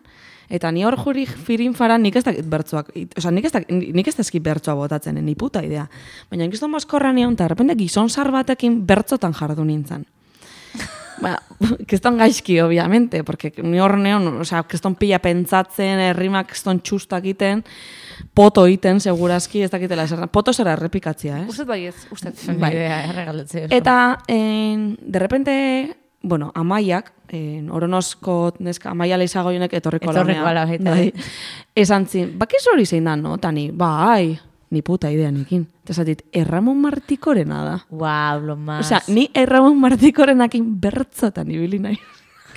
eta ni hor juri firin fara nik ez dakit bertzoak, oza, nik ez, dakit, nik ez dazkit bertzoa botatzen, ni puta idea. Baina gizton mozkorra nion, eta repente gizon zar batekin bertzotan jardu nintzen. Ba, keston gaizki, obviamente, porque ni hor neon, oza, keston pila pentsatzen, errimak keston txustak iten, poto iten, segurazki, ez dakitela esan. Poto zera errepikatzia, eh? Usted bai ez, usted. Bai, erregaletzea. Eta, en, de repente, bueno, Amaiak, en, Oronosko neska, Amaia leizagoionek etorriko Etorriko ala baita. Bai. Esan zin, bakiz hori zein da, no? Tani, bai, ni puta idea nikin. Eta esatit, Erramon Martikorena da. Guau, lo más. Osea, ni Erramon Martikorenakin bertzotan ibili nahi.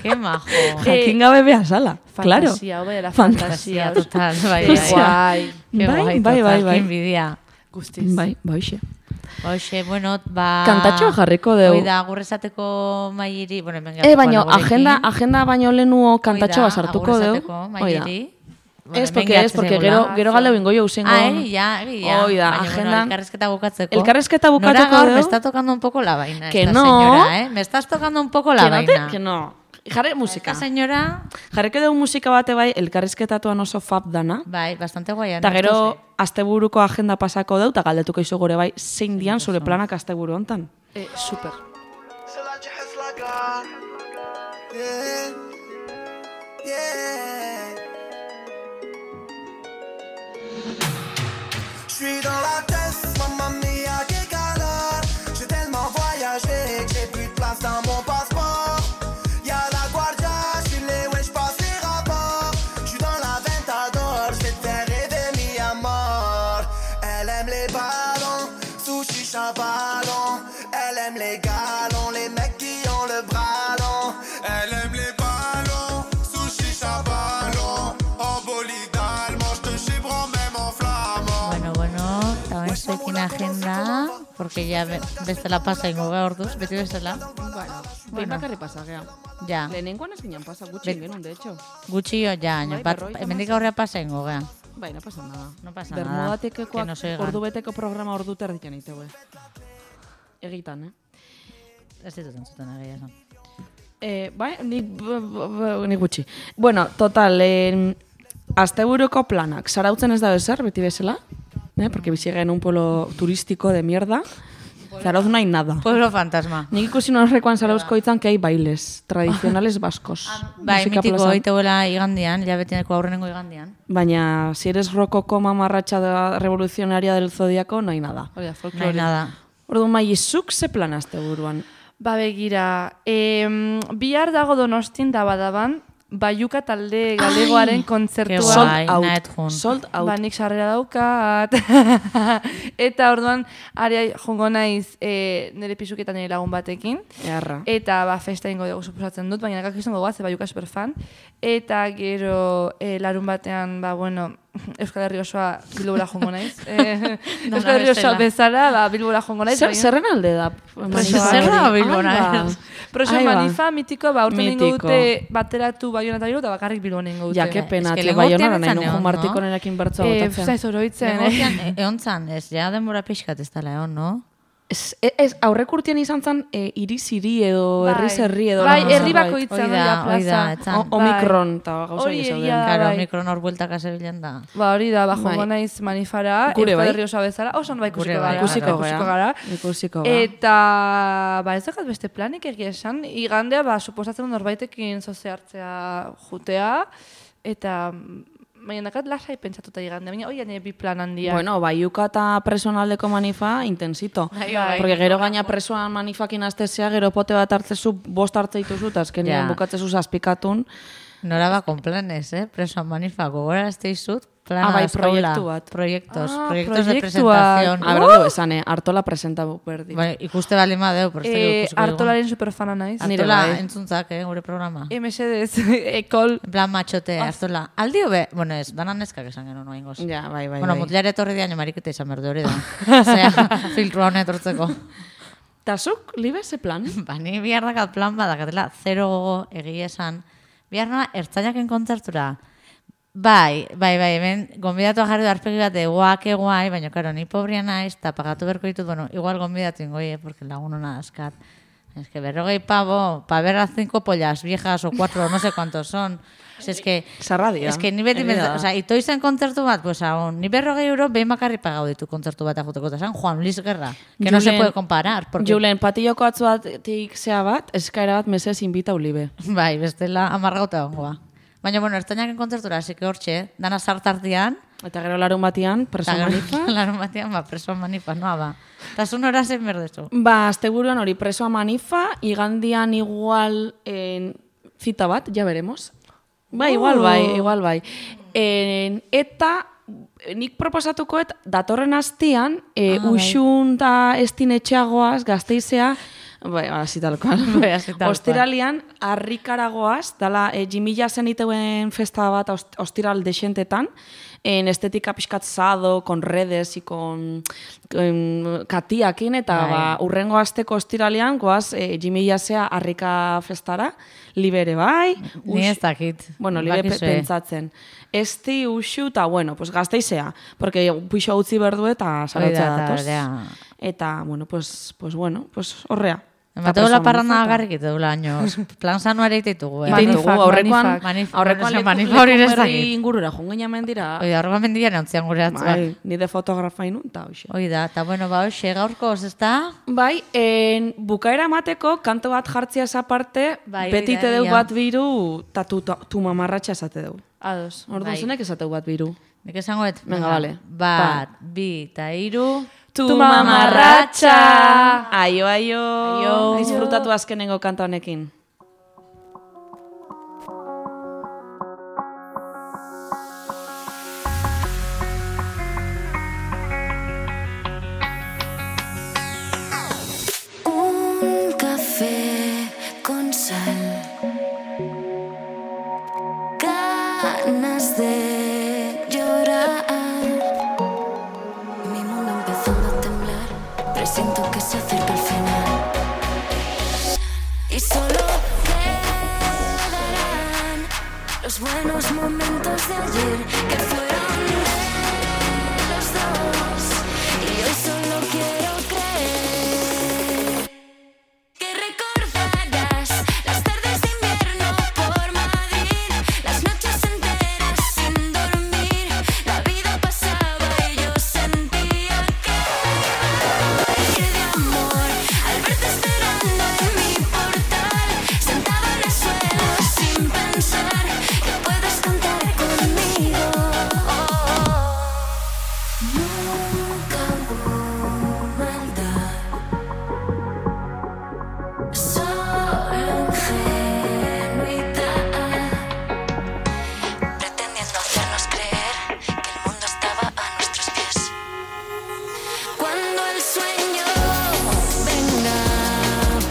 Qué majo. Jakin gabe beha sala, claro. Fantasia, hobe dela Fantasia, fantasia. total, bai, Qué bai. guai. Qué Bai, guai, bai, total, bai, bai. qué envidia. Guztiz. Bai, bai, xe. Hoxe, bueno, ba... Kantatxoa jarriko deu. Hoi da, gurrezateko mairi... Bueno, hemen E, baino, agenda, agenda baino lehenuo kantatxoa sartuko deu. Agurrezateko mairi. Ez, porque ez, porque gero, gero galdeu ingo jo usengo. Ah, egia, egia. Hoi da, Baina, bueno, agenda... elkarrezketa bukatzeko. Elkarrezketa Nora bukatuko gaur, deu. me está tocando un poco la vaina Que esta no. señora, eh? Me estás tocando un poco la Que no, te- vaina. que no. Jarre musika. Esta señora, Jarreko dugu musika bate bai, elkarrizketatuan oso fab dana. bai, bastante guaia. Eta gero, asteburuko agenda pasako deu, eta galdetuko izu gure bai, zein dian zure planak asteburu hontan. Eh, super. C'est là que je reste la gare. Yeah. Yeah. Je suis dans la tête, mamma mia, quel calor. J'ai tellement voyagé que j'ai plus de place dans mon passeport. Y'a la guardia, je suis les ouais, je passe les rapports. Je suis dans la Ventador, je vais te faire rêver mi à mort. Elle aime les ballons, sushi, chabalon. Elle aime les galons, les mecs qui ont le bras long. Elle aime les ballons, sushi, chabalon. En bolide allemand, je te chibron même en flamand. Bueno, bueno, eta bain zuekin agenda, porque ya be- bestela pasa ingo ga orduz, beti bestela. Behin bakarri pasagea. Ja, Lehenengoan ez ginen pasa, gutxi Bet- genuen, de hecho. gutxi jo, ja, Bai, baino, bat, berrogeita hemendik hamazazpi. aurrea pasa ingo ga. Bai, no pasa nada. No pasa nada. Bermudatekekoak Que no se ordu beteko programa ordu terdikan iteue. Egitan, eh? Ez ditut entzuten egia esan. Eh, bai, ni, b- b- b- ni gutxi. Bueno, total, eh, asteburuko planak. Zarautzen ez da bezer, beti bezala. Eh? Porque bizi en un pueblo turístico de mierda. Zarauz no hay nada. Pueblo fantasma. Nik ikusi norrekoan Zarauzko hitzan que hay bailes tradicionales vascos. Bai, Musika mitiko plazan. oiteuela igandian, ja betineko aurrenengo igandian. Baina, si eres rokoko mamarratxa da revolucionaria del zodiaco, no hay nada. Hori da, No hay folklore. nada. Orduan, mai, zuk ze plan asteburuan? Ba begira, em, bihar dago Donostin da badaban, Baiuka talde galegoaren Ke kontzertua. guai. Sold out. nahet jun. Sold out. Ba, nik sarrera daukat. Eta orduan, ari jongo naiz e, nire pisuketan nire lagun batekin. Earra. Eta ba, festa ingo dugu suposatzen dut, baina nekak izango goaz, Baiuka superfan. Eta gero e, larun batean, ba, bueno, Euskal Herri osoa Bilbora jongo naiz. E, Dona Euskal Herri osoa bestela. bezala, ba, Bilbora jongo naiz. Zer, baina- zerren alde da? Presoa. Zerra hori? Bilbona Ai, ba. ez. Proso Ai, ba. manifa mitiko, ba, urten ingo Mitiko. dute bateratu Baiona eta Bilbo, eta bakarrik Bilbon ingo dute. Ja, que pena, Es que tio, lehengo Baionara urtean nahi etzan nuju egon, no? Martikonerekin bertzoa Eh, botatzen. zaiz oroitzen, Lehengo eh? urtean, e- egon zan, ez, ja denbora pixkat ez dela egon, no? Ez, ez aurrek urtean izan zen e, iriz-iri edo Bai. herriz-herri edo... Bai, lako herri zerbait. bakoitza Hoi hori da, da hoi da, plaza. etzan. O- Omikron eta gauza Hori hori egia zauden. da. Claro, bai. mikron hor bueltaka zebilen da. Ba, hori da, ba, jongo Bai. naiz manifara, Gure Euskal bai. Herri osoa bezala, oso bai ikusiko Gure bai, gara. Ikusiko ikusiko gara. gara. Ikusiko gara. Eta, ba, ez dakat beste planik egia esan, igandea, ba, suposatzen dut norbaitekin zoze hartzea jutea, eta, baina dakat lasai pentsatuta igandea, baina hori nire bi plan handia. Bueno, Baiuka eta presonaldeko manifa intensito. Bai, bai. Porque gero gaina presoan manifakin aztezea, gero pote bat hartzezu, bost hartze dituzu, eta azkenean Ja. bukatzezu zazpikatun. Nora ba con planes, eh? Presoan manifa, gogora ez teizut, plana Ah, bai, dauzkaula. proiektu bat. Proiektos, Ah, proiektos de proiektuak. presentación. A ber, du esan, eh? Artola presenta berdi. Bai, ikuste bali madeu, pero ez Eh, dakit ikusiko dugu. Artolaren superfana naiz. Nire Artola bai. entzuntzak, eh, gure programa. E, mesedez, ekol. En plan machote, Artola. Aldio be, bueno ez, danan neskak esan genuen noa ingoz. Ja, bai, bai, Bueno, bai. mutilare etorri dian, mariketa izan berde hori da. Osea, filtrua honet etortzeko. Ta zuk, libe, ze plan? Ba, ni bihar dakat plan badakatela, zero gogo egia esan. Bihar noa, ertzainaken kontzertura. Bai, bai, bai, hemen gonbidatu jarri du arpegi bat de guak guai, baina, karo, ni pobria naiz, eta pagatu berko ditut, bueno, igual gonbidatu ingoie, porque lagun hona askat. Es que berrogei pavo, pa ver a cinco pollas viejas o cuatro, no sé cuántos son. Es, es que... Zarradia. Es que ni beti... O sea, ito izan kontzertu bat, pues aún, ni berrogei euro behin bakarri pagau ditu kontzertu bat ajuteko. Eta San Juan Luis Guerra, que Julen, no se puede comparar. Porque... Julen, patilloko atzu batik zea bat, eskaera bat mesez inbita ulibe. Bai, bestela amargauta ongoa. Baina, bueno, ertainak kontzertura, así que hortxe, dana sartartian. Eta gero larun batian, preso manifa. Larun batian, ba, preso manifa, noa ba. Eta zun hora zen berdezu. Ba, asteburuan hori presoa manifa, igandian igual en, zita bat, ja veremos. Ba, igual bai, igual bai. En, eta nik proposatukoet datorren astian, e, ah, uxun da estin etxeagoaz, Gasteizea, bai, hasi talkoan. Bai, hasi talkoan. Ostiralian, harrikaragoaz, dala, e, Jimilla zen iteuen festa bat ost, ostiral dexentetan, en estética pixkatzado, con redes y con, con katiakin, eta bai. Ba, urrengo asteko ostiralean, goaz, e, Jimilla zea harrika festara, libere bai. Ni ez dakit. Bueno, libe pe, pentsatzen. Esti, uxu, eta bueno, pues Gasteizea, porque puixo utzi berdu eta sarautzea datoz. Eta, bueno, pues, pues bueno, pues horrea. Mateo la parranda agarrik ite dula años. Plan sanuare ite ditugu, eh? Ite ditugu, aurrekoan, aurrekoan manifa hori ez dakit. Ingurura, jongeina mendira. Oida, aurrekoan mendira neontzian gure atzua. Bai, nide fotografa inun, eta hoxe. Oida, eta bueno, ba, hoxe, gaurko, ez da? Bai, en, bukaera mateko, kanto bat jartzia aparte, bai, beti te deu bat biru, eta tu, tu mamarratxa esate deu. Ados. Orduan bai. Zenek esateu bat biru. Nik esango et? Venga, vale. Bat, bi, eta iru... Tu mamarratxa! Aio, aio! Aio! Disfrutatu azkenengo kanta honekin. Un café con sal, ganas de llorar. Siento que se acerca el final y solo quedarán los buenos momentos de ayer que fueron de los dos, y hoy solo quiero creer que recordarás las tardes de invierno por Madrid, las noches enteras sin dormir, la vida pasaba y yo sentía que al verte esperando en mi portal, sentado en el suelo sin pensar que puedes contar conmigo. Nunca hubo maldad, solo ingenuidad, pretendiendo hacernos creer que el mundo estaba a nuestros pies. Cuando el sueño venga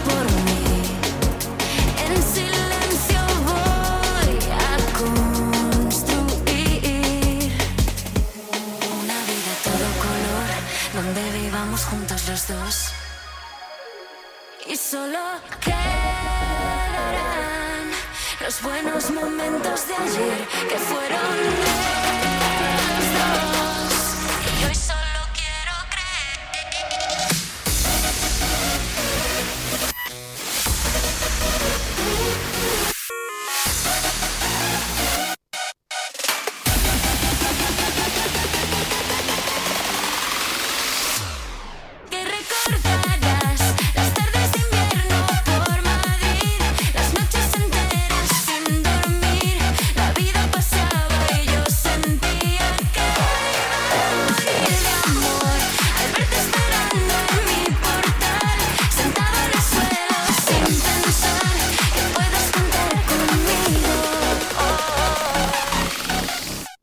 por mí, en silencio voy a construir una vida a todo color, donde vivamos juntos los dos, y solo quedarán los buenos momentos de ayer que fueron de